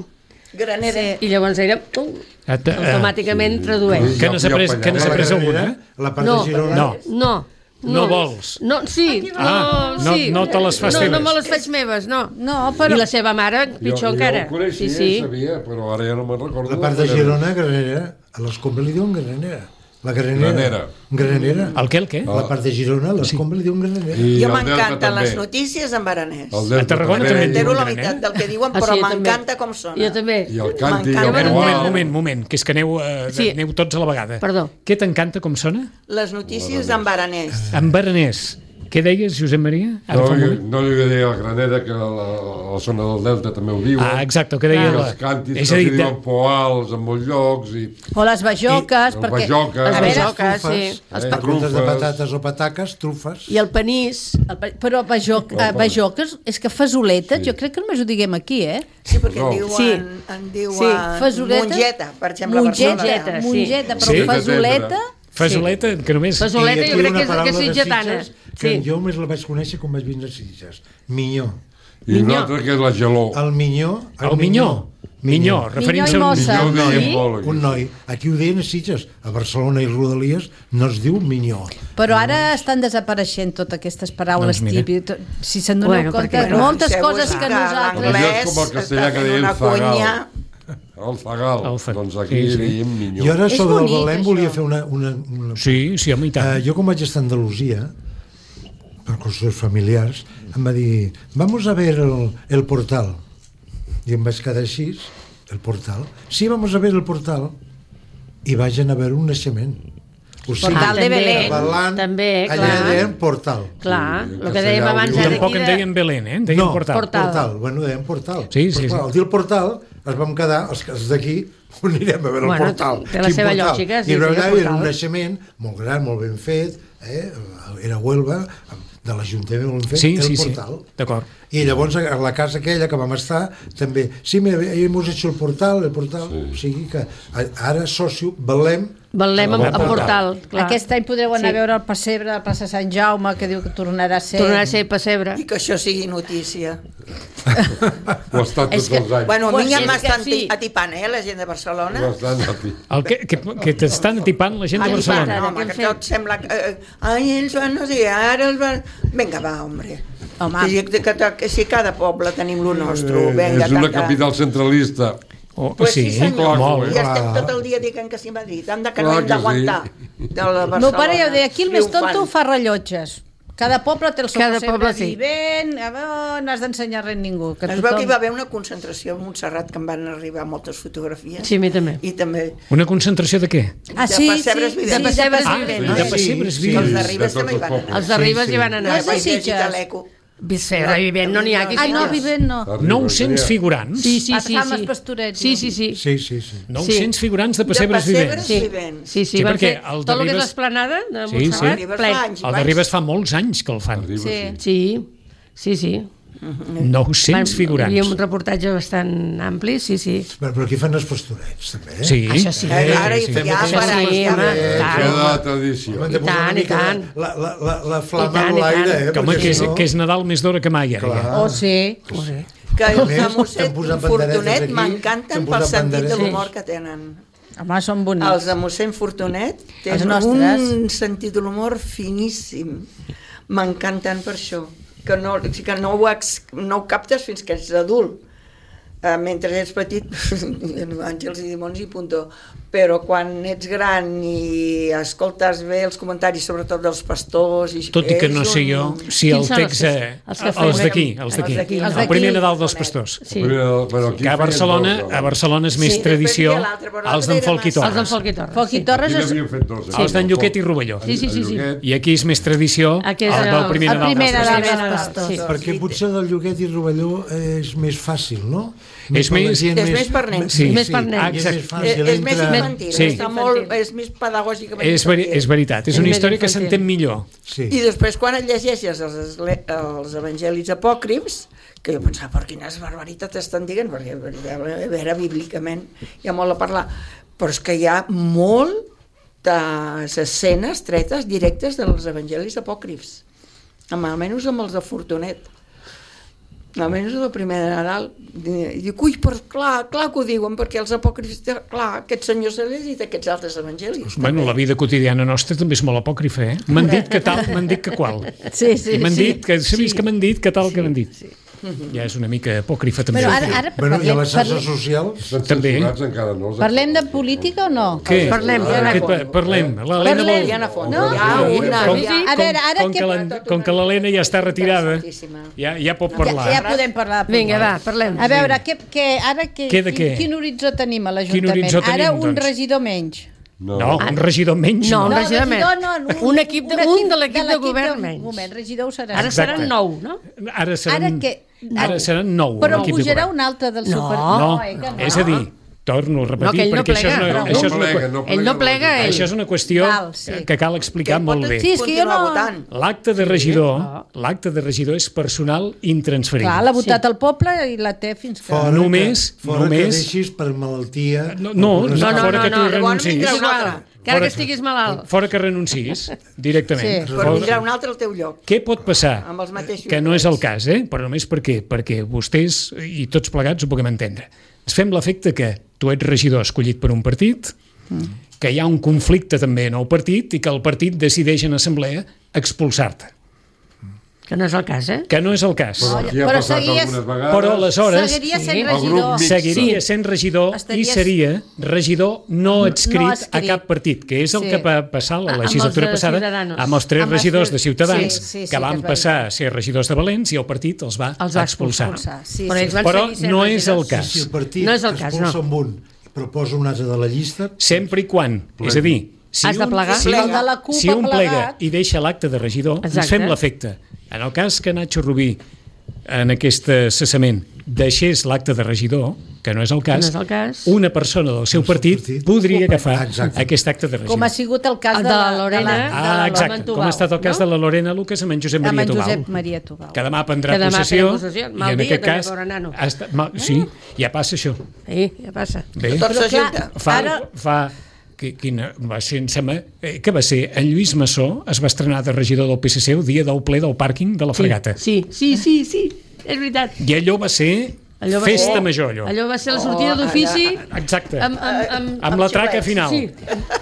[SPEAKER 5] Granera.
[SPEAKER 3] I llavors ella uh,
[SPEAKER 2] At- eh,
[SPEAKER 3] automàticament tradueix.
[SPEAKER 2] Que n'has après, que n'has
[SPEAKER 4] La
[SPEAKER 2] après
[SPEAKER 4] Granera,
[SPEAKER 2] alguna?
[SPEAKER 4] la part
[SPEAKER 3] No,
[SPEAKER 4] de Girona...
[SPEAKER 2] No.
[SPEAKER 3] No.
[SPEAKER 2] No vols?
[SPEAKER 3] No, sí,
[SPEAKER 2] Ah,
[SPEAKER 3] no,
[SPEAKER 2] no-
[SPEAKER 3] sí.
[SPEAKER 2] no te les fas
[SPEAKER 3] no,
[SPEAKER 2] teves.
[SPEAKER 3] No me les faig meves, no.
[SPEAKER 7] No, però...
[SPEAKER 3] I la seva mare, pitjor
[SPEAKER 6] jo,
[SPEAKER 3] encara.
[SPEAKER 6] Jo ho coneixia,
[SPEAKER 3] sí, sí.
[SPEAKER 6] sabia, però ara ja no me'n recordo.
[SPEAKER 4] La part de Girona, Granera, a l'Escombra li diuen Granera. La Granera.
[SPEAKER 6] Granera.
[SPEAKER 4] Granera.
[SPEAKER 2] El què, el què?
[SPEAKER 4] La part de Girona, a l'Escombra li diuen Granera.
[SPEAKER 6] I
[SPEAKER 5] Jo
[SPEAKER 6] el Delta
[SPEAKER 5] m'encanten
[SPEAKER 6] també.
[SPEAKER 5] les notícies en baranès.
[SPEAKER 6] El Delta
[SPEAKER 2] A Tarragona
[SPEAKER 6] també.
[SPEAKER 2] també en
[SPEAKER 5] Entero
[SPEAKER 2] diuen
[SPEAKER 5] la
[SPEAKER 2] graner.
[SPEAKER 5] meitat del que diuen,
[SPEAKER 3] Ah,
[SPEAKER 5] però
[SPEAKER 3] sí, jo també.
[SPEAKER 5] m'encanta com sona.
[SPEAKER 3] Jo també.
[SPEAKER 6] I el càntic,
[SPEAKER 5] M'encanta.
[SPEAKER 6] el
[SPEAKER 2] A veure, un
[SPEAKER 6] qual-
[SPEAKER 2] moment, un moment, un moment, que és que aneu, eh,
[SPEAKER 3] Sí.
[SPEAKER 2] aneu tots a la vegada.
[SPEAKER 3] Perdó.
[SPEAKER 2] Què t'encanta com sona?
[SPEAKER 5] Les notícies en baranès.
[SPEAKER 2] En baranès. Què deies, Josep Maria? Ara
[SPEAKER 6] No,
[SPEAKER 2] fa un
[SPEAKER 6] jo,
[SPEAKER 2] moment.
[SPEAKER 6] no li deia a Granera, que la, la, la zona del Delta també ho diuen.
[SPEAKER 2] Ah, exacte, el que deia
[SPEAKER 6] I
[SPEAKER 2] la...
[SPEAKER 6] els càntics
[SPEAKER 2] És
[SPEAKER 6] que
[SPEAKER 2] a
[SPEAKER 6] els
[SPEAKER 2] dir,
[SPEAKER 6] diuen poals en molts llocs. I...
[SPEAKER 7] O les bajoques,
[SPEAKER 6] I-
[SPEAKER 7] perquè...
[SPEAKER 6] bajoques.
[SPEAKER 7] a
[SPEAKER 3] Les
[SPEAKER 7] veure,
[SPEAKER 3] bajoques, sí.
[SPEAKER 4] Trufes,
[SPEAKER 3] Els
[SPEAKER 6] eh,
[SPEAKER 3] pa-
[SPEAKER 4] Trufes de
[SPEAKER 6] trufes.
[SPEAKER 4] patates o pataques, trufes.
[SPEAKER 3] I el panís.
[SPEAKER 7] el pa- però bajoc, eh, bajoques, és que fasoletes, jo crec que només ho diguem aquí, eh?
[SPEAKER 5] Sí, perquè
[SPEAKER 6] No.
[SPEAKER 5] en diuen,
[SPEAKER 3] Sí.
[SPEAKER 5] en diuen
[SPEAKER 3] Sí,
[SPEAKER 7] fasoleta.
[SPEAKER 5] mongeta, per exemple, a
[SPEAKER 7] Mongeta,
[SPEAKER 5] Barcelona.
[SPEAKER 3] sí.
[SPEAKER 7] mongeta, però
[SPEAKER 2] Sí.
[SPEAKER 7] fasoleta...
[SPEAKER 2] Fasoleta, que només...
[SPEAKER 3] Fasoleta,
[SPEAKER 4] I
[SPEAKER 3] jo
[SPEAKER 4] aquí
[SPEAKER 3] crec
[SPEAKER 4] una
[SPEAKER 3] que és, que
[SPEAKER 4] paraula
[SPEAKER 3] és
[SPEAKER 4] de
[SPEAKER 3] sitgetana.
[SPEAKER 4] Sitges, que
[SPEAKER 3] Sí.
[SPEAKER 4] jo més la vaig conèixer quan vaig vindre a Sitges. Minyó.
[SPEAKER 6] I una altra que és la geló.
[SPEAKER 4] El minyó...
[SPEAKER 2] El minyó. Minyó, referint-se
[SPEAKER 7] Minyó i
[SPEAKER 2] a un...
[SPEAKER 7] mossa.
[SPEAKER 6] Minyó ho deien
[SPEAKER 3] Sí?
[SPEAKER 6] molt, aquí.
[SPEAKER 4] Un noi. Aquí ho deien a Sitges. A Barcelona i Rodalies no es diu minyó.
[SPEAKER 7] Però ara estan desapareixent totes aquestes paraules
[SPEAKER 2] Doncs mira.
[SPEAKER 7] típiques. Si se'n donen
[SPEAKER 3] Bueno,
[SPEAKER 7] compte,
[SPEAKER 3] perquè-
[SPEAKER 7] moltes
[SPEAKER 5] Fixeu-vos
[SPEAKER 7] coses que
[SPEAKER 5] que
[SPEAKER 7] nosaltres...
[SPEAKER 6] Allò
[SPEAKER 5] l'anglès
[SPEAKER 6] és com el castellà
[SPEAKER 5] està
[SPEAKER 6] que
[SPEAKER 5] fent
[SPEAKER 6] deien
[SPEAKER 5] una
[SPEAKER 6] zagal.
[SPEAKER 5] cunya.
[SPEAKER 6] El zagal.
[SPEAKER 2] El zagal.
[SPEAKER 6] Doncs aquí
[SPEAKER 2] Sí, sí.
[SPEAKER 6] diem minyó.
[SPEAKER 4] Jo ara
[SPEAKER 7] És
[SPEAKER 4] sobre el
[SPEAKER 7] bonic,
[SPEAKER 4] Belém
[SPEAKER 7] això.
[SPEAKER 4] volia fer una... una, una...
[SPEAKER 2] Sí, sí, home, i tant.
[SPEAKER 4] Uh, jo, com vaig estar a Andalusia, per qüestions familiars, em va dir, vamos a ver el, el portal. I em vaig quedar així, el portal. Sí, vamos a ver el portal. I vaig anar a veure un naixement. O sigui,
[SPEAKER 7] Portal de
[SPEAKER 3] també,
[SPEAKER 7] Belén.
[SPEAKER 4] parlant,
[SPEAKER 3] també,
[SPEAKER 4] allà
[SPEAKER 3] clar.
[SPEAKER 4] deien portal.
[SPEAKER 3] Clar,
[SPEAKER 6] Sí,
[SPEAKER 3] el que dèiem
[SPEAKER 6] castellà ho
[SPEAKER 3] abans
[SPEAKER 6] diu.
[SPEAKER 3] ara
[SPEAKER 2] Tampoc
[SPEAKER 3] aquí
[SPEAKER 2] en
[SPEAKER 3] de...
[SPEAKER 2] deien Belén, eh? En deien
[SPEAKER 4] no,
[SPEAKER 2] portal.
[SPEAKER 3] Portal.
[SPEAKER 4] portal. Bueno, deien portal.
[SPEAKER 2] Sí, sí,
[SPEAKER 4] Però, clar,
[SPEAKER 2] sí.
[SPEAKER 4] al dir el portal, es vam quedar, els, els d'aquí, on anirem a veure
[SPEAKER 3] Bueno,
[SPEAKER 4] el portal?
[SPEAKER 3] té la
[SPEAKER 4] Quin
[SPEAKER 3] seva
[SPEAKER 4] portal?
[SPEAKER 3] lògica, sí,
[SPEAKER 4] I
[SPEAKER 3] sí,
[SPEAKER 4] allà
[SPEAKER 3] el
[SPEAKER 4] era
[SPEAKER 3] portal.
[SPEAKER 4] un naixement molt gran, molt ben fet, eh? Era a Huelva, de l'Ajuntament molt ben fet,
[SPEAKER 2] Sí,
[SPEAKER 4] el
[SPEAKER 2] sí, sí,
[SPEAKER 4] portal.
[SPEAKER 2] d'acord.
[SPEAKER 4] I llavors a la casa aquella que vam estar també, sí, mira, hemos hecho el portal, el portal, sí. O sigui que a- ara socio, Belém,
[SPEAKER 3] Valem amb
[SPEAKER 2] El
[SPEAKER 3] el portal, clar.
[SPEAKER 7] Aquest any podreu anar
[SPEAKER 3] Sí.
[SPEAKER 7] a veure el pessebre de la plaça Sant Jaume, que diu que tornarà a ser...
[SPEAKER 3] Tornarà a ser pessebre.
[SPEAKER 5] I que això sigui notícia.
[SPEAKER 6] Ho ha estat
[SPEAKER 3] És
[SPEAKER 6] tots
[SPEAKER 3] que-
[SPEAKER 6] els anys.
[SPEAKER 5] Bueno, a
[SPEAKER 3] Pues
[SPEAKER 5] mi ja
[SPEAKER 3] és
[SPEAKER 5] m'estan
[SPEAKER 3] que sí.
[SPEAKER 5] atipant, eh, la gent de Barcelona.
[SPEAKER 6] Ho estan aquí.
[SPEAKER 2] El que, que, que t'estan atipant la gent de
[SPEAKER 3] Atipant,
[SPEAKER 2] Barcelona.
[SPEAKER 3] ara.
[SPEAKER 5] Home,
[SPEAKER 3] què
[SPEAKER 5] que
[SPEAKER 3] hem
[SPEAKER 5] tot sembla... que, Eh, ai, ells van, no sé, ara els van... Vinga, va, hombre.
[SPEAKER 7] Home.
[SPEAKER 5] Que, que, que, que si cada poble tenim lo nostre,
[SPEAKER 6] Eh,
[SPEAKER 5] vinga,
[SPEAKER 6] és una
[SPEAKER 5] tanca.
[SPEAKER 6] capital centralista.
[SPEAKER 2] Oh,
[SPEAKER 5] Pues
[SPEAKER 2] sí,
[SPEAKER 5] sí, senyor.
[SPEAKER 2] molt.
[SPEAKER 5] I estem tot el dia dient que sí a Madrid. Hem de que no
[SPEAKER 6] Clar
[SPEAKER 5] hem
[SPEAKER 6] que
[SPEAKER 5] d'aguantar.
[SPEAKER 6] sí.
[SPEAKER 5] De la
[SPEAKER 7] El meu pare ja ho
[SPEAKER 5] Barcelona,
[SPEAKER 7] deia, aquí el més tonto
[SPEAKER 5] triomfant.
[SPEAKER 7] fa rellotges. Cada poble té el seu
[SPEAKER 3] Cada
[SPEAKER 7] sempre
[SPEAKER 3] poble, sí.
[SPEAKER 7] vivent, a veure, no has d'ensenyar res a ningú. Que
[SPEAKER 5] Es veu que hi va haver una concentració a Montserrat que em van arribar moltes fotografies.
[SPEAKER 3] Sí, a mi també.
[SPEAKER 5] I també
[SPEAKER 2] Una concentració de què?
[SPEAKER 7] Ah,
[SPEAKER 5] de
[SPEAKER 7] sí,
[SPEAKER 5] pessebres
[SPEAKER 7] sí,
[SPEAKER 5] vivents.
[SPEAKER 3] de pessebres
[SPEAKER 2] Ah,
[SPEAKER 3] vivents.
[SPEAKER 2] de pessebres
[SPEAKER 4] Sí,
[SPEAKER 5] que els de
[SPEAKER 2] vivents.
[SPEAKER 5] Ribes
[SPEAKER 6] De
[SPEAKER 5] també hi
[SPEAKER 6] tots
[SPEAKER 5] van
[SPEAKER 6] els
[SPEAKER 5] anar.
[SPEAKER 3] Els de Ribes
[SPEAKER 4] sí.
[SPEAKER 3] hi van anar.
[SPEAKER 7] No és de
[SPEAKER 5] Vaig llegir
[SPEAKER 7] Sitges.
[SPEAKER 5] a l'Eco.
[SPEAKER 3] Pessebra vivent, no n'hi ha. Aquí
[SPEAKER 7] Ah, no,
[SPEAKER 3] sí.
[SPEAKER 7] vivent no.
[SPEAKER 2] nou-cents figurants?
[SPEAKER 3] Sí, sí, sí.
[SPEAKER 7] Farmes
[SPEAKER 3] sí.
[SPEAKER 7] Pastorets,
[SPEAKER 3] Sí,
[SPEAKER 7] no?
[SPEAKER 3] sí, sí.
[SPEAKER 4] Sí, sí, sí.
[SPEAKER 2] nou-cents figurants de
[SPEAKER 5] De
[SPEAKER 2] pessebres
[SPEAKER 5] pessebres
[SPEAKER 2] vivents.
[SPEAKER 3] Sí,
[SPEAKER 5] vivents.
[SPEAKER 3] sí, sí,
[SPEAKER 2] Sí,
[SPEAKER 3] van
[SPEAKER 2] perquè
[SPEAKER 3] fer
[SPEAKER 2] el de
[SPEAKER 3] tot el que és
[SPEAKER 2] Ribes-
[SPEAKER 3] l'esplanada de
[SPEAKER 2] Sí,
[SPEAKER 3] Montserrat,
[SPEAKER 2] sí.
[SPEAKER 5] Ribes
[SPEAKER 3] ple.
[SPEAKER 5] fa anys i
[SPEAKER 2] El de
[SPEAKER 5] panys.
[SPEAKER 2] Ribes fa molts anys que el fan.
[SPEAKER 6] Ribes,
[SPEAKER 7] Sí.
[SPEAKER 3] Sí, sí, sí.
[SPEAKER 2] nou-cents figurants.
[SPEAKER 3] Hi havia un reportatge bastant ampli, sí, sí.
[SPEAKER 4] Però, però aquí fan els pastorets, també. Eh?
[SPEAKER 2] Sí.
[SPEAKER 3] Això sí.
[SPEAKER 5] Eh, Ara hi
[SPEAKER 2] sí.
[SPEAKER 5] ha
[SPEAKER 3] Això
[SPEAKER 5] per
[SPEAKER 3] sí,
[SPEAKER 5] anys.
[SPEAKER 3] home,
[SPEAKER 6] Eh,
[SPEAKER 3] tant.
[SPEAKER 6] queda tradició.
[SPEAKER 4] Hem de posar
[SPEAKER 3] I tant,
[SPEAKER 4] una
[SPEAKER 3] i
[SPEAKER 4] mica
[SPEAKER 3] tant.
[SPEAKER 4] La, la, la, la flama
[SPEAKER 3] I tant,
[SPEAKER 4] en
[SPEAKER 3] i
[SPEAKER 4] l'aire,
[SPEAKER 3] tant.
[SPEAKER 4] eh?
[SPEAKER 2] Que, home,
[SPEAKER 4] perquè
[SPEAKER 2] que, és,
[SPEAKER 4] si no-
[SPEAKER 2] que és Nadal més d'hora que mai, ara.
[SPEAKER 4] Clar.
[SPEAKER 2] Ja.
[SPEAKER 7] Oh, sí.
[SPEAKER 3] Ho sé.
[SPEAKER 5] Que
[SPEAKER 4] A
[SPEAKER 5] els
[SPEAKER 4] més,
[SPEAKER 5] de Mossèn
[SPEAKER 4] t'han posat banderetes
[SPEAKER 5] Fortunet
[SPEAKER 4] aquí,
[SPEAKER 5] m'encanten
[SPEAKER 4] t'han
[SPEAKER 5] pel
[SPEAKER 4] posat
[SPEAKER 5] sentit de
[SPEAKER 4] banderetes.
[SPEAKER 5] l'humor que tenen.
[SPEAKER 7] Home, són bonics.
[SPEAKER 5] Els de mossèn Fortunet
[SPEAKER 7] Els
[SPEAKER 5] tenen
[SPEAKER 7] nostres.
[SPEAKER 5] un sentit de l'humor finíssim. M'encanten per això. Que no, que no, ho, ex, no ho captes fins que ets adult. Uh, mentre ets petit, àngels i dimonis i puntó. Però quan ets gran i escoltes bé els comentaris, sobretot dels pastors... I
[SPEAKER 2] Tot i que no
[SPEAKER 5] és
[SPEAKER 2] sé jo
[SPEAKER 5] un-
[SPEAKER 2] si el
[SPEAKER 3] Quins són
[SPEAKER 2] text...
[SPEAKER 3] els que-
[SPEAKER 2] eh,
[SPEAKER 3] els que
[SPEAKER 2] Els
[SPEAKER 3] feien-
[SPEAKER 2] d'aquí, els d'aquí.
[SPEAKER 5] Els d'aquí,
[SPEAKER 3] els
[SPEAKER 2] El
[SPEAKER 3] d'aquí.
[SPEAKER 2] primer Nadal dels pastors.
[SPEAKER 3] Sí.
[SPEAKER 6] Però, però aquí
[SPEAKER 2] Que a
[SPEAKER 6] feien
[SPEAKER 2] Barcelona,
[SPEAKER 6] dos,
[SPEAKER 2] a Barcelona és més
[SPEAKER 5] Sí,
[SPEAKER 2] tradició
[SPEAKER 5] després hi ha l'altre, però
[SPEAKER 2] els
[SPEAKER 5] l'altre
[SPEAKER 2] d'en
[SPEAKER 5] era
[SPEAKER 2] Folc i
[SPEAKER 5] massa.
[SPEAKER 3] Els d'en
[SPEAKER 2] Torres.
[SPEAKER 3] Folc i Torres.
[SPEAKER 7] Foc i
[SPEAKER 3] sí.
[SPEAKER 7] Torres
[SPEAKER 6] Aquí
[SPEAKER 7] és...
[SPEAKER 6] n'havien fet dos.
[SPEAKER 2] Els d'en Lluquet i Rovelló.
[SPEAKER 3] Sí, sí, sí, sí.
[SPEAKER 2] I aquí és més tradició
[SPEAKER 3] Aquí
[SPEAKER 2] el
[SPEAKER 3] és
[SPEAKER 2] del
[SPEAKER 3] el-
[SPEAKER 2] primer
[SPEAKER 7] el
[SPEAKER 2] Nadal
[SPEAKER 7] primer
[SPEAKER 2] dels
[SPEAKER 7] Nadal
[SPEAKER 2] pastors.
[SPEAKER 7] dels pastors.
[SPEAKER 3] Sí.
[SPEAKER 4] Perquè potser del Lloguet i Rovelló és més fàcil, no?
[SPEAKER 2] És
[SPEAKER 4] per la
[SPEAKER 2] més-
[SPEAKER 4] gent
[SPEAKER 5] és més per nens.
[SPEAKER 2] Sí.
[SPEAKER 3] Més per nens.
[SPEAKER 2] Ah,
[SPEAKER 4] i és
[SPEAKER 2] exacte.
[SPEAKER 4] més
[SPEAKER 5] És,
[SPEAKER 4] fàcil.
[SPEAKER 5] és més
[SPEAKER 4] entra-
[SPEAKER 5] infantil,
[SPEAKER 2] Sí.
[SPEAKER 5] està molt, és més pedagògicament
[SPEAKER 2] És, veri,
[SPEAKER 5] infantil.
[SPEAKER 2] és veritat, és una
[SPEAKER 3] És més
[SPEAKER 2] història que
[SPEAKER 3] infantil.
[SPEAKER 2] s'entén millor.
[SPEAKER 4] Sí.
[SPEAKER 5] I després quan et llegeixes els, esle- els evangelis apòcrifs, que jo pensava, per quines barbaritats estan dient, perquè a veure, bíblicament hi ha molt a parlar, però és que hi ha moltes escenes tretes directes dels evangelis apòcrifs, amb, almenys amb els de Fortunet. Almenys el primer de Nadal. I dic, ui, però clar, clar que ho diuen, perquè els apòcrifs, clar, aquest senyor s'ha llegit aquests altres evangelis.
[SPEAKER 2] Bueno, la vida quotidiana nostra també és molt apòcrifa, eh? M'han dit que tal, m'han dit que qual.
[SPEAKER 7] Sí, sí,
[SPEAKER 2] I m'han
[SPEAKER 7] sí.
[SPEAKER 2] dit que, sabis que m'han dit que tal que m'han dit. Ja és una mica apòcrifa també.
[SPEAKER 7] Però ara, ara
[SPEAKER 4] Bueno, i a
[SPEAKER 7] parlem,
[SPEAKER 4] les xarxes
[SPEAKER 7] parlem,
[SPEAKER 4] socials...
[SPEAKER 6] Estan
[SPEAKER 2] També.
[SPEAKER 6] censurats encara, no? els
[SPEAKER 7] parlem de
[SPEAKER 6] actors.
[SPEAKER 7] política o no?
[SPEAKER 2] Què?
[SPEAKER 3] Parlem, ja
[SPEAKER 2] Què
[SPEAKER 3] n'hi ha
[SPEAKER 2] pa- Parlem. L'Helena
[SPEAKER 7] Parlem.
[SPEAKER 2] vol...
[SPEAKER 5] Hi ha a fons.
[SPEAKER 7] No.
[SPEAKER 5] Hi ha una...
[SPEAKER 2] Com,
[SPEAKER 5] hi ha-
[SPEAKER 7] A veure, ara
[SPEAKER 2] com,
[SPEAKER 7] què-
[SPEAKER 2] que la- com que l'Helena ja està retirada, ja, ja pot
[SPEAKER 7] Ja,
[SPEAKER 2] parlar.
[SPEAKER 7] ja podem parlar. de
[SPEAKER 3] Vinga, va,
[SPEAKER 7] política.
[SPEAKER 3] parlem.
[SPEAKER 7] A veure, què, què, ara què,
[SPEAKER 2] Què de
[SPEAKER 7] quin,
[SPEAKER 2] què?
[SPEAKER 7] quin horitzó tenim a
[SPEAKER 2] Quin
[SPEAKER 7] l'Ajuntament?
[SPEAKER 2] horitzó tenim,
[SPEAKER 7] Ara un
[SPEAKER 2] doncs?
[SPEAKER 7] regidor menys.
[SPEAKER 6] No,
[SPEAKER 2] No, un regidor menys.
[SPEAKER 3] No, un
[SPEAKER 7] No,
[SPEAKER 3] regidor menys.
[SPEAKER 7] regidor no,
[SPEAKER 3] Un equip de- un de l'equip de govern menys.
[SPEAKER 7] Un moment, regidor ho serà.
[SPEAKER 3] Ara
[SPEAKER 2] Exacte.
[SPEAKER 3] seran nou, no?
[SPEAKER 2] Ara seran,
[SPEAKER 7] Ara què?
[SPEAKER 2] ara seran nou.
[SPEAKER 7] Però
[SPEAKER 2] l'equip de
[SPEAKER 7] pujarà
[SPEAKER 2] govern.
[SPEAKER 7] un altre del
[SPEAKER 3] No.
[SPEAKER 7] seu partit.
[SPEAKER 2] No,
[SPEAKER 7] eh, que no.
[SPEAKER 2] és a dir, torno a
[SPEAKER 3] No,
[SPEAKER 2] repetir,
[SPEAKER 3] que ell no
[SPEAKER 2] perquè això és
[SPEAKER 3] plega.
[SPEAKER 2] una,
[SPEAKER 3] No,
[SPEAKER 2] això és
[SPEAKER 6] no
[SPEAKER 2] una,
[SPEAKER 6] plega, no
[SPEAKER 3] Ell no plega, ell.
[SPEAKER 2] això és una qüestió
[SPEAKER 7] Val, sí.
[SPEAKER 2] que cal explicar molt bé.
[SPEAKER 7] Sí, és que jo no...
[SPEAKER 5] votant.
[SPEAKER 2] L'acte de regidor, l'acte de regidor és personal intransferible.
[SPEAKER 7] Clar, l'ha votat el poble i la té fins que...
[SPEAKER 4] Fora
[SPEAKER 2] Només-
[SPEAKER 4] que, fora
[SPEAKER 2] només-
[SPEAKER 4] que deixis per malaltia...
[SPEAKER 2] No, no,
[SPEAKER 4] o per
[SPEAKER 2] no,
[SPEAKER 4] una-
[SPEAKER 3] No,
[SPEAKER 2] fora
[SPEAKER 3] no,
[SPEAKER 2] que tu
[SPEAKER 3] no,
[SPEAKER 5] llavors
[SPEAKER 2] renuncis.
[SPEAKER 5] vindrà un
[SPEAKER 3] Igual,
[SPEAKER 5] altre.
[SPEAKER 3] que ara
[SPEAKER 2] Fora-
[SPEAKER 3] que estiguis malalt.
[SPEAKER 2] Fora que renuncis, directament.
[SPEAKER 7] Sí.
[SPEAKER 5] Però
[SPEAKER 2] Fora-
[SPEAKER 5] vindrà un altre al teu lloc.
[SPEAKER 2] Què pot passar?
[SPEAKER 5] Amb els mateixos
[SPEAKER 2] Que no és el
[SPEAKER 5] drets.
[SPEAKER 2] cas, eh? Però només per què? Perquè vostès i tots plegats ho puguem entendre. Ens fem l'efecte que tu ets regidor escollit per un partit, que hi ha un conflicte també en el partit i que el partit decideix en assemblea expulsar-te.
[SPEAKER 3] Que no és el cas, eh?
[SPEAKER 2] Que no és el cas.
[SPEAKER 6] Però aquí ha
[SPEAKER 7] Però
[SPEAKER 6] passat
[SPEAKER 7] seguies-
[SPEAKER 6] algunes vegades.
[SPEAKER 2] Però aleshores
[SPEAKER 7] Seguiria sent
[SPEAKER 3] Sí.
[SPEAKER 6] El
[SPEAKER 7] regidor.
[SPEAKER 6] grup mixt.
[SPEAKER 2] seguiria
[SPEAKER 3] Sí.
[SPEAKER 2] sent regidor i
[SPEAKER 7] Estaries-
[SPEAKER 2] seria regidor no adscrit,
[SPEAKER 7] No
[SPEAKER 2] a
[SPEAKER 7] adscrit.
[SPEAKER 2] cap partit, que és el
[SPEAKER 7] Sí.
[SPEAKER 2] que va passar la
[SPEAKER 3] Amb els
[SPEAKER 2] legislatura
[SPEAKER 3] de
[SPEAKER 2] passada
[SPEAKER 3] Ciudadanos.
[SPEAKER 2] amb els tres
[SPEAKER 7] Amb els
[SPEAKER 2] regidors
[SPEAKER 7] tres-
[SPEAKER 2] de Ciutadans
[SPEAKER 7] sí, sí, sí,
[SPEAKER 2] que
[SPEAKER 7] que
[SPEAKER 2] van
[SPEAKER 7] és
[SPEAKER 2] passar a ser regidors de Valents i el partit els va
[SPEAKER 3] Els va
[SPEAKER 2] expulsar.
[SPEAKER 7] Expulsar, sí,
[SPEAKER 3] Però
[SPEAKER 7] sí.
[SPEAKER 3] ells van
[SPEAKER 2] Però
[SPEAKER 3] seguir sent
[SPEAKER 2] no és el
[SPEAKER 3] regidors.
[SPEAKER 2] cas.
[SPEAKER 4] Si el partit
[SPEAKER 3] No és el cas,
[SPEAKER 4] expulsa
[SPEAKER 3] no.
[SPEAKER 4] amb un i proposa un altre de la llista...
[SPEAKER 2] Sempre i quan, és a dir, si
[SPEAKER 3] Has de
[SPEAKER 2] un,
[SPEAKER 3] plegar?
[SPEAKER 2] si,
[SPEAKER 7] El
[SPEAKER 2] un,
[SPEAKER 7] de la CUP
[SPEAKER 2] si un
[SPEAKER 7] ha
[SPEAKER 2] plega
[SPEAKER 7] plegat.
[SPEAKER 2] i deixa l'acte de regidor, ens
[SPEAKER 3] Exacte.
[SPEAKER 2] fem l'efecte. En el cas que Nacho Rubí en aquest cessament deixés l'acte de regidor, que no és el cas,
[SPEAKER 3] no és el cas.
[SPEAKER 2] una persona del seu partit
[SPEAKER 4] partit.
[SPEAKER 2] podria agafar
[SPEAKER 4] Exacte.
[SPEAKER 2] aquest acte de regidor.
[SPEAKER 7] Com ha sigut el cas
[SPEAKER 3] El
[SPEAKER 7] de,
[SPEAKER 3] de
[SPEAKER 7] la,
[SPEAKER 3] la Lorena.
[SPEAKER 7] de la,
[SPEAKER 2] Ah,
[SPEAKER 3] de
[SPEAKER 2] exacte,
[SPEAKER 3] l'Amantubau,
[SPEAKER 2] com ha estat el cas
[SPEAKER 3] no?
[SPEAKER 2] de la Lorena Lucas amb en Josep
[SPEAKER 7] amb
[SPEAKER 2] Maria
[SPEAKER 7] en
[SPEAKER 2] Tubau,
[SPEAKER 7] Josep Maria Tubau.
[SPEAKER 2] que demà prendrà
[SPEAKER 3] Que demà
[SPEAKER 2] possessió,
[SPEAKER 3] pren possessió. Mal
[SPEAKER 2] i en
[SPEAKER 3] dia
[SPEAKER 2] aquest
[SPEAKER 3] també
[SPEAKER 2] cas
[SPEAKER 3] veure nano.
[SPEAKER 2] ha estat, mal, sí, ja passa això.
[SPEAKER 3] Sí, ja passa.
[SPEAKER 2] Bé,
[SPEAKER 5] Tot
[SPEAKER 7] Però clar,
[SPEAKER 5] s'ajunta.
[SPEAKER 2] fa,
[SPEAKER 7] ara-
[SPEAKER 2] fa qui- quina va ser, em sembla, eh, que va ser en Lluís Massó es va estrenar de regidor del P S C el dia del ple del pàrquing de la Fregata.
[SPEAKER 3] Sí, sí, sí, sí, és veritat.
[SPEAKER 2] I allò va ser
[SPEAKER 3] Allò va
[SPEAKER 2] Festa
[SPEAKER 3] ser-
[SPEAKER 2] major, allò.
[SPEAKER 3] Allò va ser la sortida d'ofici
[SPEAKER 2] Exacte.
[SPEAKER 3] amb, amb, amb,
[SPEAKER 2] Amb la traca final.
[SPEAKER 3] Sí.